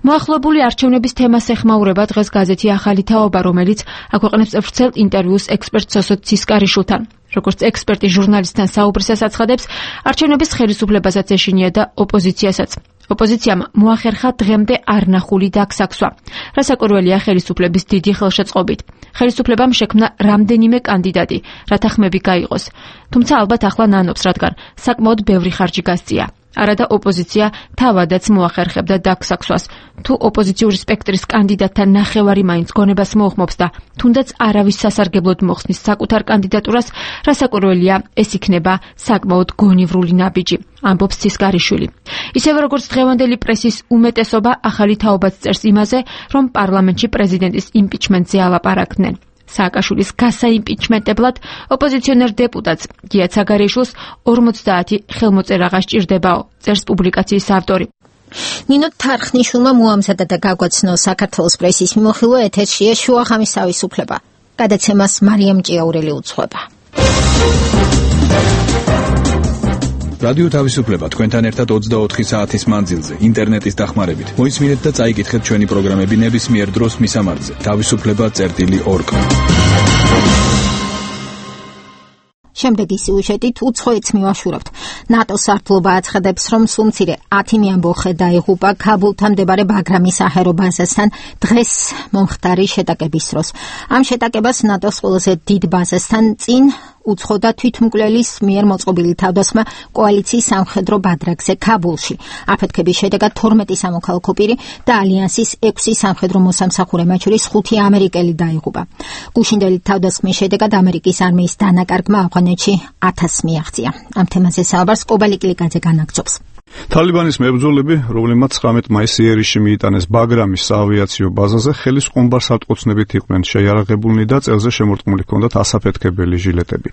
მოახლოებული არჩევნების თემას ეხმაურება დღეს გაზეთი ახალი თაობა, რომელიც აქვეყნებს ვრცელ ინტერვიუს ექსპერტ სოსო ცისკარიშვილთან. როგორც ექსპერტი ჟურნალისტთან საუბრისას აცხადებს, არჩევნების ხელისუფლებასაც ეშინია და ოპოზიციასაც. ოპოზიციამ მოახერხა დღემდე არნახული დაგსაქსვა, რასაკვირველია ხელისუფლების დიდი ხელშეწყობით. ხელისუფლებამ შექმნა რამდენიმე კანდიდატი, რათა ხმები გაიღოს. თუმცა ალბათ ახლა ნანობს, რადგან საკმაოდ ბევრი ხარჯი გასწია. არადა ოპოზიცია თავადაც მოახერხებდა დაგსაქსვას. თუ ოპოზიციური სპექტრის კანდიდატთა ნახევარი მაინც გონებას მოუხმობს და თუნდაც არავის სასარგებლოდ მოხსნის საკუთარ კანდიდატურას, რასაკვირველია ეს იქნება საკმაოდ გონივრული ნაბიჯი, ამბობს ცისკარიშვილი. ისევე როგორც დღევანდელი პრესის უმეტესობა ახალი თაობაც წერს იმაზე, რომ პარლამენტში პრეზიდენტის იმპიჩმენტზე ალაპარაკდნენ. სააკაშვილის გასაიმპიჩმენტებლად ოპოზიციონერ დეპუტატს გია ცაგარეიშვილს 50 ხელმოწერაღა სჭირდებაო, წერს პუბლიკაციის ავტორი. ნინო თარხნიშვილმა მოამზადა და გაგვაცნო საქართველოს პრესის მიმოხილვა, ეთერშია შუახამის თავისუფლება. გადაცემას მარიამ ჭიაურელი უძღვება. რადიო თავისუფლება თქვენთან ერთად 24 საათის მანძილზე, ინტერნეტის დახმარებით. მოისმინეთ და წაიკითხეთ ჩვენი პროგრამები ნებისმიერ დროს მისამართზე. თავისუფლება.org. შემდეგი სიუჟეტით უცხოეთს მივაშურებთ. ნატოს სარდლობა აცხადებს, რომ სულ მცირე 10 მეამბოხე დაიღუპა ქაბულთან მდებარე ბაგრამის საჰაერო ბაზასთან დღეს მომხდარი შეტაკების დროს. ამ შეტაკებას ნატოს ყველაზე დიდ ბაზასთან წინ უცხო და თვითმკვლელის მიერ მოწყობილი თავდასხმა კოალიციის სამხედრო ბადრაგზე ქაბულში. აფეთქების შედეგად 12 სამოქალაქო პირი და ალიანსის 6 სამხედრო მოსამსახურე, მათ შორის 5 ამერიკელი დაიღუპა. გუშინდელი თავდასხმის შედეგად ამერიკის არმიის დანაკარგმა ავღანეთში 1000 მიაღწია. ამ თემაზე საუბარს კობალი კლიკაძე განაგრძობს. თალიბანის მებრძოლები, რომლებმაც 19 მაისს იერიშში მიიტანეს ბაგრამის საავიაციო ბაზაზე, ხელის ყუმბარ სარტყოცნებით იყვნენ შეიარაღებულნი და წელზე შემორტყმული ჰქონდათ ასაფეთქებელი ჟილეტები.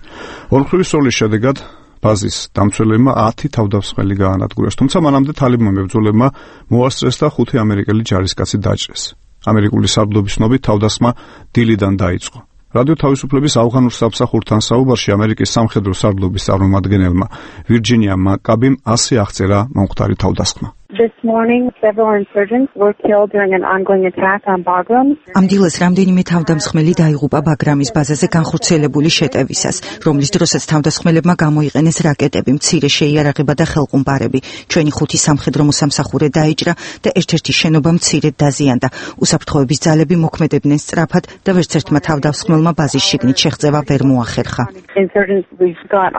ორმხრივი სროლის შედეგად ბაზის დამცველებმა 10 თავდამსხმელი გაანადგურეს, თუმცა მანამდე თალიბანმა მებრძოლებმა მოასწრეს და 5 ამერიკელი ჯარისკაცი დაჭრეს. ამერიკული სარდლობის ცნობით თავდასხმა დილიდან დაიწყო. რადიო თავისუფლების ავღანურ სამსახურთან საუბარში ამერიკის სამხედრო სარდლობის წარმომადგენელმა ვირჯინია მაკაბიმ ასე აღწერა მომხდარი თავდასხმა. This morning, several insurgents were killed during an ongoing attack on Bagram. ამ დილას რამდენიმე თავდამსხმელი დაიღუპა ბაგრამის ბაზაზე განხორციელებული შეტევისას, რომლის დროსაც თავდასხმელებმა გამოიყენეს რაკეტები, მცირე შეიარაღება და ხელყუმბარები. ჩვენი 5 სამხედრო მოსამსახურე დაიჭრა და ერთ-ერთი შენობა მცირედ დაზიანდა. უსაფრთხოების ძალები მოქმედებდნენ სწრაფად და ვერც ერთმა თავდასხმელმა ბაზის შიგნით შეღწევა ვერ მოახერხა. Insurgents, we've got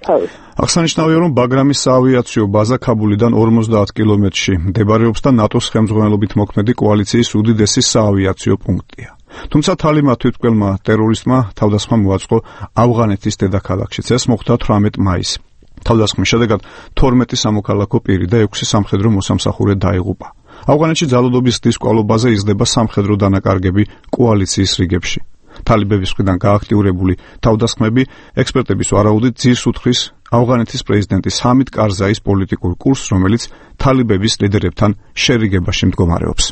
post. აღსანიშნავია, რომ ბაგრამის საავიაციო ბაზა ქაბულიდან 50 კილომეტრში მდებარეობს და ნატოს ხელმძღვანელობით მოქმედი კოალიციის უდიდესი საავიაციო პუნქტია. თუმცა თალიბმა თვითმკვლელმა ტერორისტმა თავდასხმა მოაწყო ავღანეთის დედაქალაქშიც. ეს მოხდა 18 მაისს. თავდასხმის შედეგად 12 სამოქალაქო პირი და 6 სამხედრო მოსამსახურე დაიღუპა. ავღანეთში ძალადობის დისკვალობაზე იზრდება სამხედრო დანაკარგები კოალიციის რიგებში. თალიბების მხრიდან გააქტიურებული თავდასხმები ექსპერტების ვარაუდით ძირს უთხრის ავღანეთის პრეზიდენტის ჰამიდ კარზაის პოლიტიკურ კურსს, რომელიც თალიბების ლიდერებთან შერიგებაში მდგომარეობს.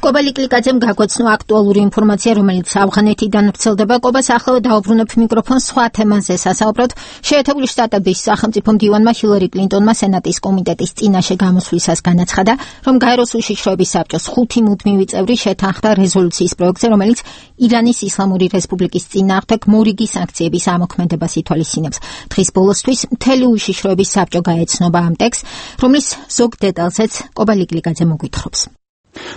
კობა ლიკლიკაძემ გაგვეცნო აქტუალური ინფორმაცია, რომელიც ავღანეთიდან ვრცელდება. კობას ახლა დაუბრუნებ მიკროფონს სხვა თემაზე სასაუბროდ. შეერთებული შტატების სახელმწიფო მდივანმა ჰილარი კლინტონმა სენატის კომიტეტის წინაშე გამოსვლისას განაცხადა, რომ გაეროს უშიშროების საბჭოს 5 მუდმივი წევრი შეთანხმდა რეზოლუციის პროექტზე, რომელიც ირანის ისლამური რესპუბლიკის წინააღმდეგ მორიგი სანქციების ამოქმედებას ითვალისწინებს. დღის ბოლოსთვის მთელი უშიშროების საბჭო გაეცნობა ამ ტექსტს, რომლის ზოგ დეტალზეც კობა ლიკლიკაძე მოგვითხრობს.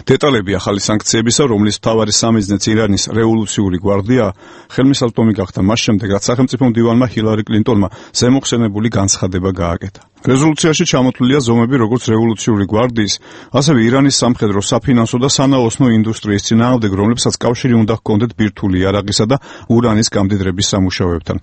დეტალები ახალი სანქციებისა, რომლის მთავარი სამიზნეც ირანის რევოლუციური გვარდია, ხელმისაწვდომი გახდა მას შემდეგ, რაც სახელმწიფო მდივანმა ჰილარი კლინტონმა ზემოხსენებული განცხადება გააკეთა. რეზოლუციაში ჩამოთვლილია ზომები როგორც რევოლუციური გვარდიის, ასევე ირანის სამხედრო, საფინანსო და სანაოსნო ინდუსტრიის წინააღმდეგ, რომლებსაც კავშირი უნდა ჰქონდეთ ბირთვული იარაღისა და ურანის გამდიდრების სამუშაოებთან.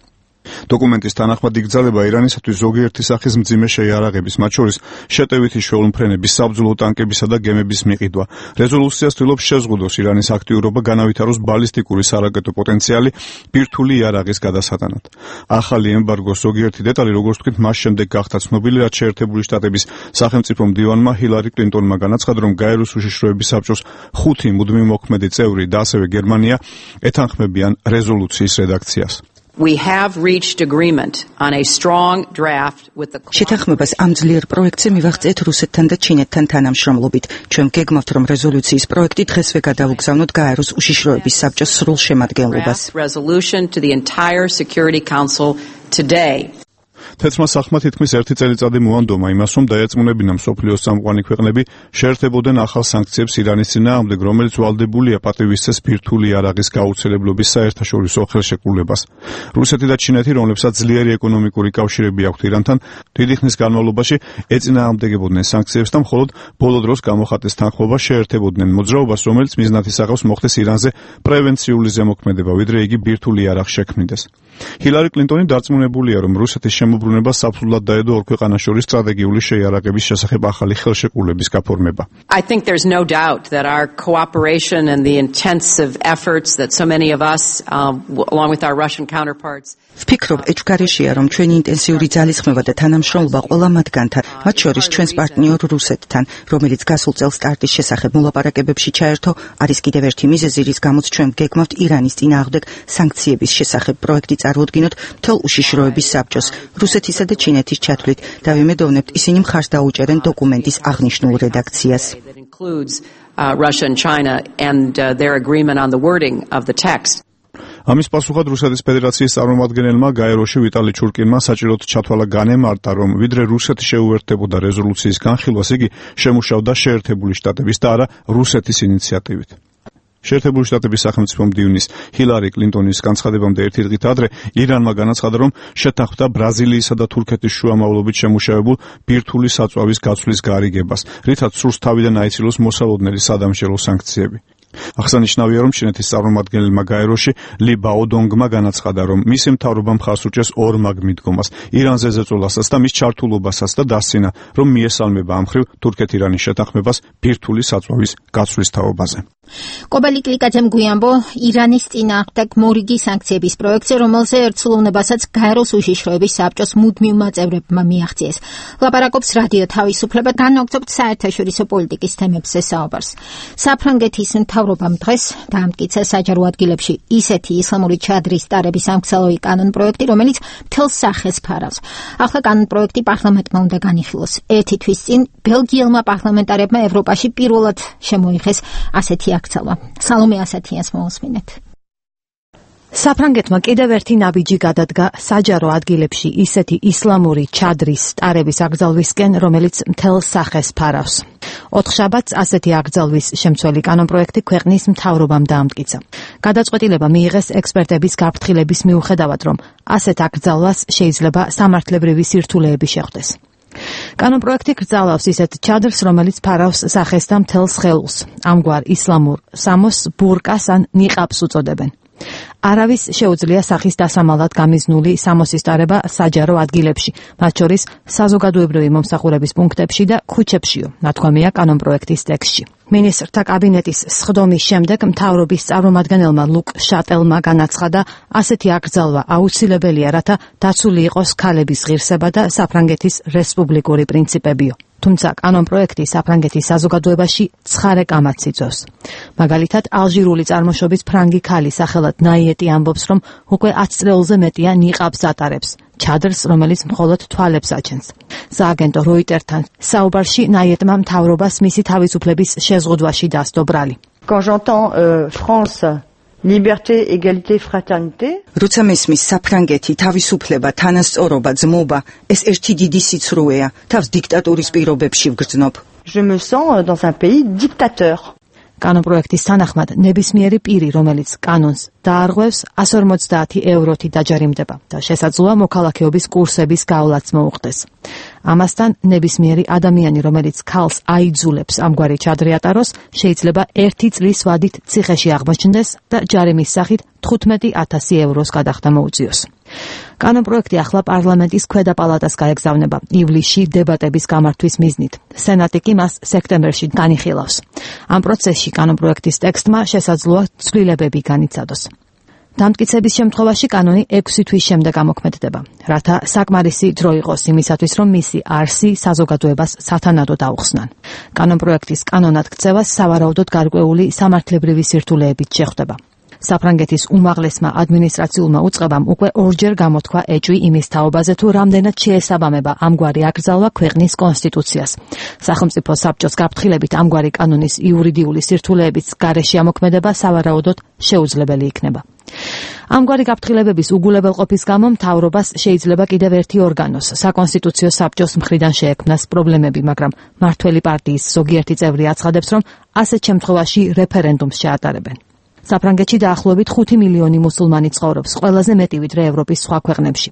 დოკუმენტის თანახმად იგრძელება ირანისათვის ზოგიერთი სახის მძიმე შეიარაღების, მათ შორის შეტევითი შუალმფრენების, საბრძოლო ტანკებისა და გემების მიყიდვა. რეზოლუცია ცდილობს შეზღუდოს ირანის აქტიურობა, განავითაროს ბალისტიკური სარაკეტო პოტენციალი ბირთვული იარაღის გადასატანად. ახალი ემბარგოს ზოგიერთი დეტალი, როგორც ვთქვით, მას შემდეგ გახდა ცნობილი, რაც შეერთებული შტატების სახელმწიფო მდივანმა ჰილარი კლინტონმა განაცხადა, რომ გაეროს უშიშროების საბჭოს 5 მუდმივ მოქმედი წევრი და ასევე გერმანია ეთანხმებიან რეზოლუციის რედაქციას. We have reached agreement on a strong draft with the შეთანხმებას ამ ძლიერ პროექტზე მივაღწიეთ რუსეთთან და ჩინეთთან თანამშრომლობით. ჩვენ გეგმავთ, რომ რეზოლუციის პროექტი დღესვე გადავუგზავნოთ გაეროს უშიშროების საბჭოს სრულ შემადგენლობას. Resolution to the entire Security Council today. თეთრმა სახმა თითქმის 1 წელიწადი მოანდომა იმას, რომ დაერწმუნებინა მსოფლიოს წამყვანი ქვეყნები შეერთებოდნენ ახალ სანქციებს ირანის წინააღმდეგ, რომელიც ვალდებულია პატივისცეს ბირთვული იარაღის გაუცილებლობის საერთაშორისო ხელშეკრულებას. რუსეთი და ჩინეთი, რომლებსაც ძლიერი ეკონომიკური კავშირები აქვთ ირანთან, დიდი ხნის განმავლობაში ეწინააღმდეგებოდნენ სანქციებს და მხოლოდ ბოლო დროს გამოხატეს თანხმობა შეერთებოდნენ მოძრაობას, რომელიც მიზნად ისახავს მოხდეს ირანზე პრევენციული ზემოქმედება, ვიდრე იგი ბირთვული იარაღს შექმნიდეს. ჰილარი კლინტონი დარწმუნებულია, რომ რუსეთის შემოbrunება საფრთხად დაედო ორ ქვეყანას შორის სტრატეგიული შეიარაღების შესახებ ახალი ხელშეკრულების გაფორმება. I think there's no doubt that our cooperation and the intensive efforts that so many of us along with our Russian counterparts ვფიქრობ, ეჭვგარეშეა, რომ ჩვენი ინტენსიური ძალისხმევა და თანამშრომლობა ყველა მათგანთან, მათ შორის ჩვენს პარტნიორ რუსეთთან, რომელიც გასულ წელს სტარტის შესახებ მოლაპარაკებებში ჩაერთო, არის კიდევ ერთი მიზეზი, რის გამოც ჩვენ გეგმავთ ირანის წინააღმდეგ სანქციების შესახებ პროექტი წარმოადგინოთ მთელ უშიშროების საბჭოს, რუსეთისა და ჩინეთის ჩათვლით და ვიმედოვნებთ, ისინი მხარს დაუჭერენ დოკუმენტის აღნიშნულ რედაქციას. Russia and China and their agreement on the wording of the text. ამის პასუხად რუსეთის ფედერაციის წარმომადგენელმა გაეროში ვიტალი ჩურკინმა საჭიროდ ჩათვალა განემარტა, რომ ვიდრე რუსეთი შეუერთდებოდა რეზოლუციის განხილვას, იგი შემუშავდა შეერთებული შტატების და არა რუსეთის ინიციატივით. შეერთებული შტატების სახელმწიფო მდივნის ჰილარი კლინტონის განცხადებამდე ერთი დღით ადრე ირანმა განაცხადა, რომ შეთანხმდა ბრაზილიისა და თურქეთის შუამავლობით შემუშავებულ ბირთვული საწვავის გაცვლის გარიგებას, რითაც სურს თავიდან აიცილოს მოსალოდნელი სადამშელო სანქციები. აღსანიშნავია, რომ ჩინეთის წარმომადგენელმა გაეროში ლი ბაოდონგმა განაცხადა, რომ მისი მთავრობა მხარს უჭერს ორმაგ მიდგომას, ირანზე ზეწოლასაც და მის ჩართულობასაც და დასცინა, რომ მიესალმება ამ მხრივ თურქეთ-ირანის შეთანხმებას ბირთვული საწვავის გაცვლის თაობაზე. კობა ლიკლიკაძემ გვიამბო ირანის წინააღმდეგ მორიგი სანქციების პროექტზე, რომელზე ერთსულოვნებასაც გაეროს უშიშროების საბჭოს მუდმივმა წევრებმა მიაღწიეს. ლაპარაკობს რადიო თავისუფლება, განვაგრძობთ საერთაშორისო პოლიტიკის თემებზე საუბარს. საფრანგეთის მთავრობამ დღეს დაამტკიცა საჯარო ადგილებში ისეთი ისლამური ჩადრის ტარების სამკცალოი კანონ პროექტი, რომელიც მთელ სახეს ფარავს. ახლა კანონ პროექტი პარლამენტმა უნდა განიხილოს. ერთი თვის წინ ბელგიელმა პარლამენტარებმა ევროპაში პირველად შემოიღეს ასეთი აქცალვა. სალომე ასათიანს მოусმინეთ. საფრანგეთმა კიდევ ერთი ნაბიჯი გადადგა საჯარო ადგილებში ისეთი ისლამური ჩადრის ტარების აკრძალვისკენ, რომელიც მთელ სახეს ფარავს. 4 შაბათს ასეთი აკრძალვის შემცველი კანონპროექტი ქვეყნის მთავრობამ დაამტკიცა. გადაწყვეტილება მიიღეს ექსპერტების გაფრთხილების მიუხედავად, რომ ასეთ აკრძალვას შეიძლება სამართლებრივი სირთულეები შეხვდეს. კანონპროექტი გრძალავს ისეთ ჩადრს, რომელიც ფარავს სახეს და მთელს ხელს. ამგვარ ისლამურ სამოს ბურკას ან ნიყაბს უწოდებენ. არავის შეუძლია სახის დასამალად გამიზნული სამოსის ტარება საჯარო ადგილებში, მათ შორის საზოგადოებრივი მომსახურების პუნქტებში და ქუჩებშიო, ნათქვამია კანონპროექტის ტექსტში. მინისტრთა კაბინეტის სხდომის შემდეგ მთავრობის წარმომადგენელმა ლუკ შატელმა განაცხადა, ასეთი აკრძალვა აუცილებელია, რათა დაცული იყოს ქალების ღირსება და საფრანგეთის რესპუბლიკური პრინციპებიო. თუმცა კანონპროექტი საფრანგეთის საზოგადოებაში ცხარე კამათს იწვევს. მაგალითად, ალჟირული წარმოშობის ფრანგი ქალი სახელად ნაიეტი ამბობს, რომ უკვე 10 წელზე მეტია ნიყაბს ატარებს, ჩადრს, რომელიც მხოლოდ თვალებს აჩენს. სააგენტო როიტერთან საუბარში ნაიეტმა მთავრობას მისი თავისუფლების შეზღუდვაში დასდო ბრალი. Quand j'entends France Liberté, égalité, fraternité. როცა მესმის საფრანგეთი, თავისუფლება, თანასწორობა, ძმობა, ეს ერთი დიდი სიცრუეა, თავს დიქტატურის პირობებში ვგრძნობ. Je me sens dans un pays dictateur. კანონპროექტის თანახმად ნებისმიერი პირი, რომელიც კანონს დაარღვევს, 150 ევროთი დაჯარიმდება და შესაძლოა მოქალაქეობის კურსების გავლაც მოუხდეს. ამასთან ნებისმიერი ადამიანი, რომელიც ქალს აიძულებს ამგვარი ჩადრი ატაროს, შეიძლება 1 წლის ვადით ციხეში აღმოჩნდეს და ჯარიმის სახით 15,000 ევროს გადახდა მოუწიოს. კანონპროექტი ახლა პარლამენტის ქვედა პალატას გაეგზავნება ივლისში დებატების გამართვის მიზნით. სენატი კი მას სექტემბერში განიხილავს. ამ პროცესში კანონპროექტის ტექსტმა შესაძლოა ცვლილებები განიცადოს. დამტკიცების შემთხვევაში კანონი 6 თვის შემდეგ ამოქმედდება, რათა საკმარისი დრო იყოს იმისათვის, რომ მისი არსი საზოგადოებას სათანადოდ აუხსნან. კანონპროექტის კანონად ქცევას სავარაუდოდ გარკვეული სამართლებრივი სირთულეებით შეხვდება. საფრანგეთის უმაღლესმა ადმინისტრაციულმა უწყებამ უკვე 2-ჯერ გამოთქვა ეჭვი იმის თაობაზე, თუ რამდენად შეესაბამება ამგვარი აკრძალვა ქვეყნის კონსტიტუციას. სახელმწიფო საბჭოს გაფრთხილებით ამგვარი კანონის იურიდიული სირთულეების გარეშე ამოქმედება სავარაუდოდ შეუძლებელი იქნება. ამგვარი გაფრთხილებების უგულებელყოფის გამო მთავრობას შეიძლება კიდევ ერთი ორგანოს, საკონსტიტუციო საბჭოს მხრიდან შეექმნას პრობლემები, მაგრამ მართველი პარტიის ზოგიერთი წევრი აცხადებს, რომ ასეთ შემთხვევაში რეფერენდუმს შეატარებენ. საფრანგეთში დაახლოებით 5 მილიონი მუსულმანი ცხოვრობს, ყველაზე მეტი ვიდრე ევროპის სხვა ქვეყნებში.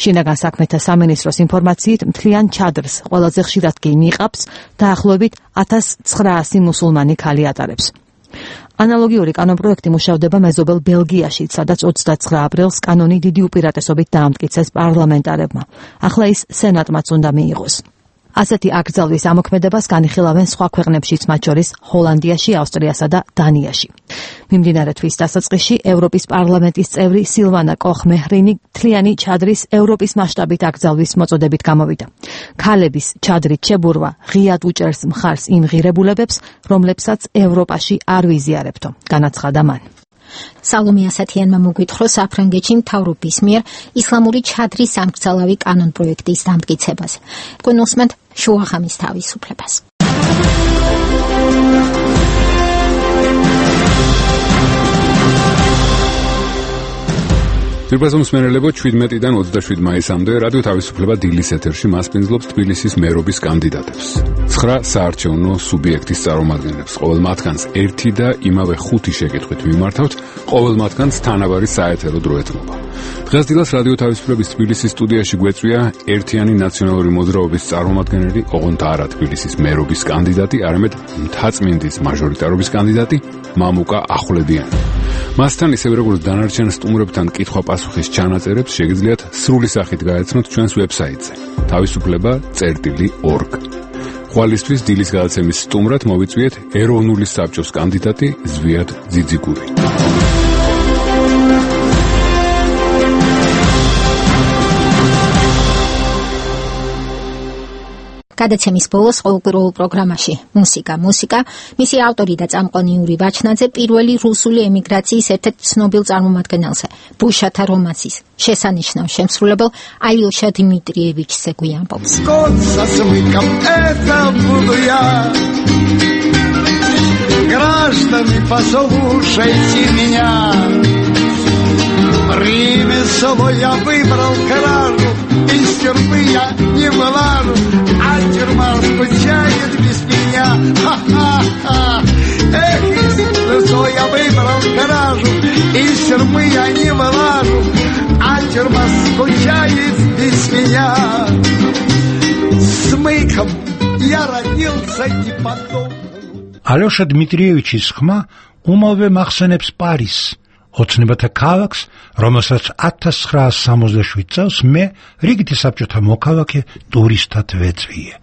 შინაგან საქმეთა სამინისტროს ინფორმაციით, მთლიან ჩადრს, ყველაზე ხშირად კი ნიყაბს, დაახლოებით 1900 მუსულმანი ქალი ატარებს. ანალოგიური კანონპროექტი მუშავდება მეზობელ ბელგიაში, სადაც 29 აპრილს კანონი დიდი უპირატესობით დაამტკიცეს პარლამენტარებმა. ახლა ის სენატმაც უნდა მიიღოს. ასეთი აკრძალვის ამოქმედებას განიხილავენ სხვა ქვეყნებშიც, მათ შორის ჰოლანდიაში, ავსტრიასა და დანიაში. მიმდინარე თვის დასაწყისში ევროპის პარლამენტის წევრი სილვანა კოხ-მეჰრინი მთლიანი ჩადრის ევროპის მასშტაბით აკრძალვის მოწოდებით გამოვიდა. ქალების ჩადრით შებურვა ღიად უჭერს მხარს იმ ღირებულებებს, რომლებსაც ევროპაში არ ვიზიარებთო, განაცხადა მან. სალომე ასათიანმა მოგვითხრა საფრანგეთში მთავრობის მიერ ისლამური ჩადრის ამკრძალავი კანონპროექტის დამტკიცებაზე. კონსმენტ შუაღამის თავისუფლებას. Თბილისის მსმენელებო 17-დან 27 მაისამდე რადიო თავისუფლება დილის ეთერში მასპინძლობს თბილისის მერობის კანდიდატებს. 9 საარჩევნო სუბიექტის წარმომადგენლებს. ყოველ მათგანს 1 და იმავე 5 შეკითხვით მიმართავთ, ყოველ მათგანს თანაბარი საეთერო დრო ეთმობა. დღეს დილას რადიო თავისუფლების თბილისის სტუდიაში გვეწვია ერთიანი ნაციონალური მოძრაობის წარმომადგენელი, ოღონდ არა თბილისის მერობის კანდიდატი, არამედ მთაწმინდის მაჟორიტარობის კანდიდატი მამუკა ახვლედიანი. მასთან ისევე როგორც დანარჩენ სტუმრებთან კითხვა-პასუხის ჩანაწერებს შეგიძლიათ სრული სახით გაეცნოთ ჩვენს ვებსაიტზე თავისუფლება.org. ხვალისთვის დილის გადაცემის სტუმრად მოვიწვიეთ ეროვნული საბჭოს კანდიდატი ზვიად ძიძიგური. გადაცემის ბოლოს ყოველკვირეულ პროგრამაში მუსიკა, მისი ავტორი და წამყვანი იური ვაჩნაძე პირველი რუსული ემიგრაციის ერთ-ერთ ცნობილ წარმომადგენელზე, ბუშათა რომანსის შესანიშნავ შემსრულებელ აილშა დიმიტრიევიჩზე გვიამბობს. Граждане, послушайте меня. Село я выбрал кражу, из тюрьмы я не вылажу, а тюрьма скучает без меня. Ха-ха-ха. Эх, село я выбрал кражу, из тюрьмы я не вылажу, а тюрьма скучает без меня. Смыком я родился и потом. ალეშა დმიტრიევიჩის ხმა უმალვე მახსენებს პარიზს, ოცნებათა ქალაქს, რომელსაც 1967 წელს მე რიგითი საბჭოთა მოქალაქე ტურისტად ვეწვიე.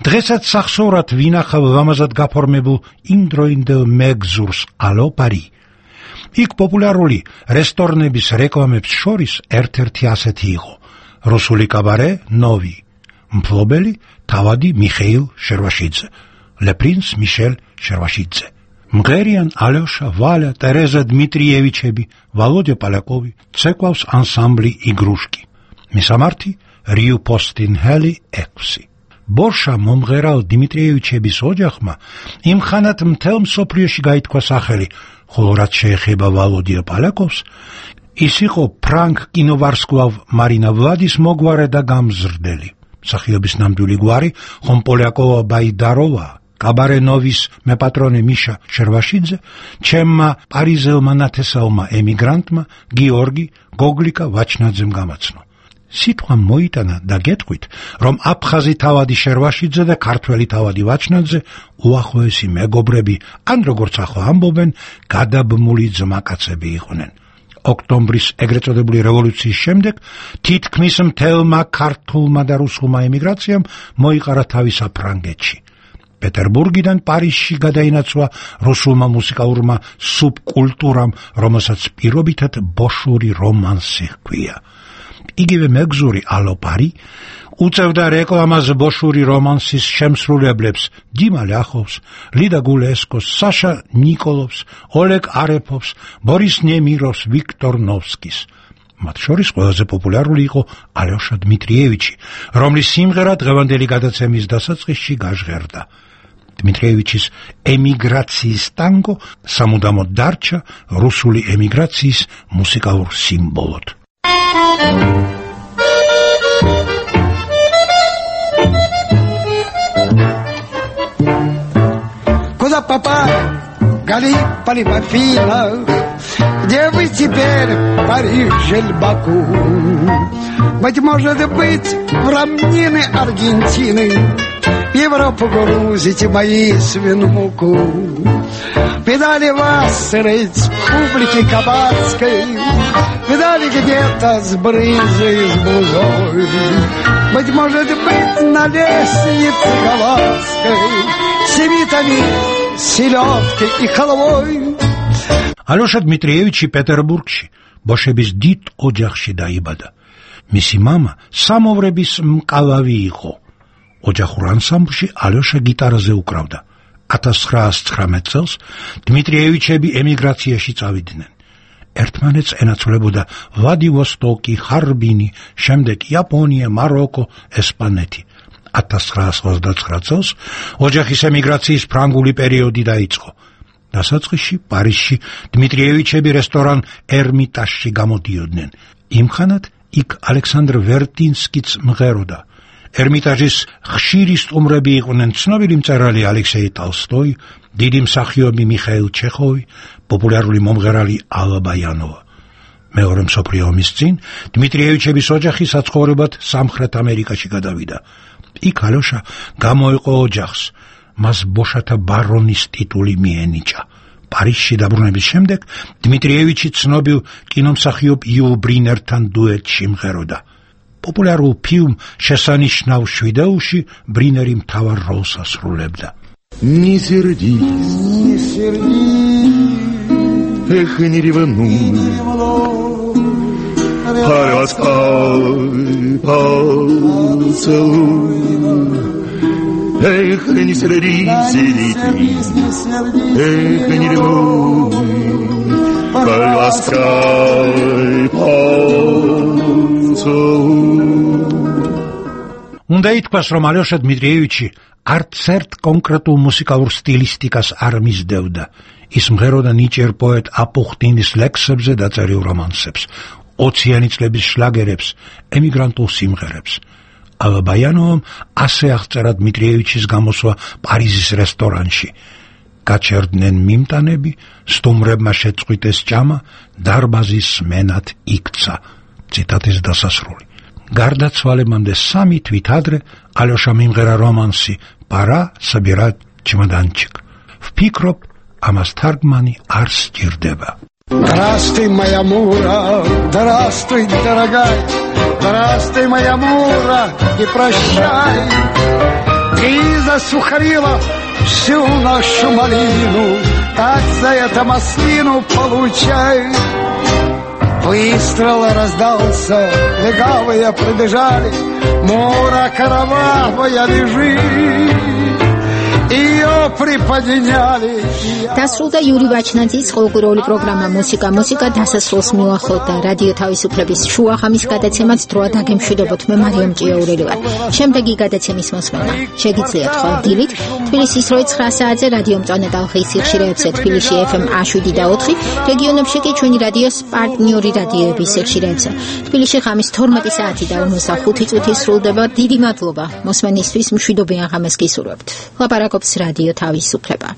დღესაც სახსოვრად ვინახავ ლამაზად გაფორმებულ იმდროინდელ მეგზურს ალო პარი. იქ პოპულარული რესტორნების რეკლამებს შორის ერთ-ერთი ასეთი იყო: რუსული კაბარე ნოვი, მფლობელი თავადი მიხეილ შერვაშიძე, Le Prince Michel Shervashidze. მღერიან ალეშა, ვალა, ტერეზა დმიტრიევიჩები, ვალოდია პალაკოვი, ცეკვავს ანსამბლი იგრუშკი. მისამართი რიუ პოსტინჰელი 6. ბორშა მომღერალ დიმიტრიევიჩების ოჯახმა იმ ხანად მთელ მსოფლიოში გაითქვა სახელი, ხოლო რაც შეეხება ვალოდია პალაკოვს, ის იყო ფრანკ კინოვარსკვლავ მარინა ვლადის მოგვარე და გამზრდელი. მსახიობის ნამდვილი გვარი ხომ პოლიაკოვა ბაიდაროვა, კაბარენოვის მეპატრონე მიშა შერვაშიძე, ჩემმა პარიზელმა ნათესაულმა ემიგრანტმა გიორგი გოგლიკა ვაჩნაძემ გამაცნო. სიტყვა მოიტანა და გეტყვით, რომ აფხაზი თავადი შერვაშიძე და ქართველი თავადი ვაჩნაძე უახლოესი მეგობრები, ან როგორც ახლა ამბობენ, გადაბმული ძმაკაცები იყვნენ. ოქტომბრის ეგრეთ წოდებული რევოლუციის შემდეგ თითქმის მთელმა ქართულმა და რუსულმა ემიგრაციამ მოიყარა თავი საფრანგეთში. პეტერბურგიდან პარიზში გადაინაცვლა რუსულმა მუსიკალურმა სუბკულტურამ, რომელსაც პირობითად ბოშური რომანსი ჰქვია. იგივე მეგზური ალო პარი უწევდა რეკლამას ბოშური რომანსის შემსრულებლებს დიმა ლიახოვს, ლიდა გულესკოს, საშა ნიკოლოვს, ოლეგ არეფოვს, ბორის ნემიროვს, ვიქტორ ნოვსკის. მათ შორის ყველაზე პოპულარული იყო ალეშა დმიტრიევიჩი, რომლის სიმღერა დღევანდელი გადაცემის დასაწყისში გაჟღერდა. დმიტრიევიჩის ემიგრაციის ტანგო სამუდამოდ დარჩა რუსული ემიგრაციის მუსიკალურ სიმბოლოდ. Куда попали, Галиполи, Афина, где вы теперь, Париж или Баку? Быть может быть, в равнины Аргентины Европу грузите мои свиномуку. Видали вас средь публики кабацкой, видали где-то с брызжей, с бузой. Быть может быть, на лестнице Галатской семитами, селедкой и халвой. ალეშა დმიტრიევიჩი პეტერბურგში ბოშების დიდ ოჯახში დაიბადა. მისი მამა სამოვრების მკალავი იყო. ოჯახურ ანსამბლში ალეშა გიტარაზე უკრავდა. 1919 წელს დმიტრიევიჩები ემიგრაციაში წავიდნენ. ერთმანეთს ენაცვლებოდა ვლადივოსტოკი, ხარბინი, შემდეგ იაპონია, მაროკო, ესპანეთი. 1929 წელს ოჯახის ემიგრაციის ფრანგული პერიოდი დაიწყო. დასაწყისში პარიზში დმიტრიევიჩები რესტორან ერმიტაჟში გამოდიოდნენ. იმხანად იქ ალექსანდრ ვერტინსკიც მღეროდა. ერმიტაჟის ხშირი სტუმრები იყვნენ ცნობილი მწერალი ალექსეი ტოლსტოი, დიდი მსახიობი მიხაილ ჩეხოვი, პოპულარული მომღერალი ალა ბაიანოვა. მეორე მსოფლიო ომის წინ დმიტრიევიჩების ოჯახი საცხოვრებლად სამხრეთ ამერიკაში გადავიდა. იქ ალეშა გამოიყო ოჯახს, მას ბოშათა ბარონის ტიტული მიენიჭა. პარიზში დაბრუნების შემდეგ დმიტრიევიჩი ცნობილ კინომსახიობ იულ ბრინერთან დუეტში მღეროდა. პოპულარულ ფილმ შესანიშნავ შვიდეულში ბრინერი მთავარ როლს ასრულებდა. Не сердись, не сердись, эх, не ревнуй, поласкай, поцелуй. Эх, не сердись, эх, не ревнуй, поласкай, поцелуй. უნდა ითქვას, რომ ალეშა დმიტრიევიჩი არც ერთ კონკრეტულ მუსიკალურ სტილისტიკას არ მისდევდა. ის მღეროდა ნიჭიერ პოეტ აპუხტინის ლექსებზე დაწერილ რომანსებს. 20-იანი წლების შლაგერებს, ემიგრანტულ სიმღერებს. ალბაიანოვამ ასე აღწერა დმიტრიევიჩის გამოსვლა პარიზის რესტორანში. გაჩერდნენ მიმტანები, სტუმრებმა შეწყვიტეს ჭამა, დარბაზის სმენად იქცა. ციტატის დასასრული. გარდაცვალებამდე 3 თვით ადრე ალოშა მიმღერა რომანსი «Пора собирать чемоданчик». Впикроп, ამას თარგმანი არ სჭირდება. Здравствуй, моя Мура, здравствуй, дорогая, здравствуй, моя Мура, и прощай. Ты засухарила всю нашу малину, так за это маслину получай. Выстрел раздался, легавые прибежали, Мура кровавая лежит. დასრულდა იური ვაჩნაძის ყოველკვირეული პროგრამა მუსიკა დასასრულს მიუახლოვდა რადიო თავისუფლების შუახამის გადაცემაც დროა დაგემშვიდობოთ მე მარიამ ჭიაურელი ვარ. შემდეგი გადაცემის მოსმენა შეგიძლიათ ხოლმე დილით თბილისის 9 საათზე რადიო მწვანე ტალღის სიხშირეებზე თბილისში FM 7 და 4, რეგიონებში კი ჩვენი რადიოს პარტნიორი რადიოების სიხშირეებზე. თბილისში ღამის 12 საათი და 45 წუთი სრულდება. დიდი მადლობა მოსმენისთვის, მშვიდობიან ღამეს გისურვებთ. ლაპარაკობს რადიო თავისუფლება.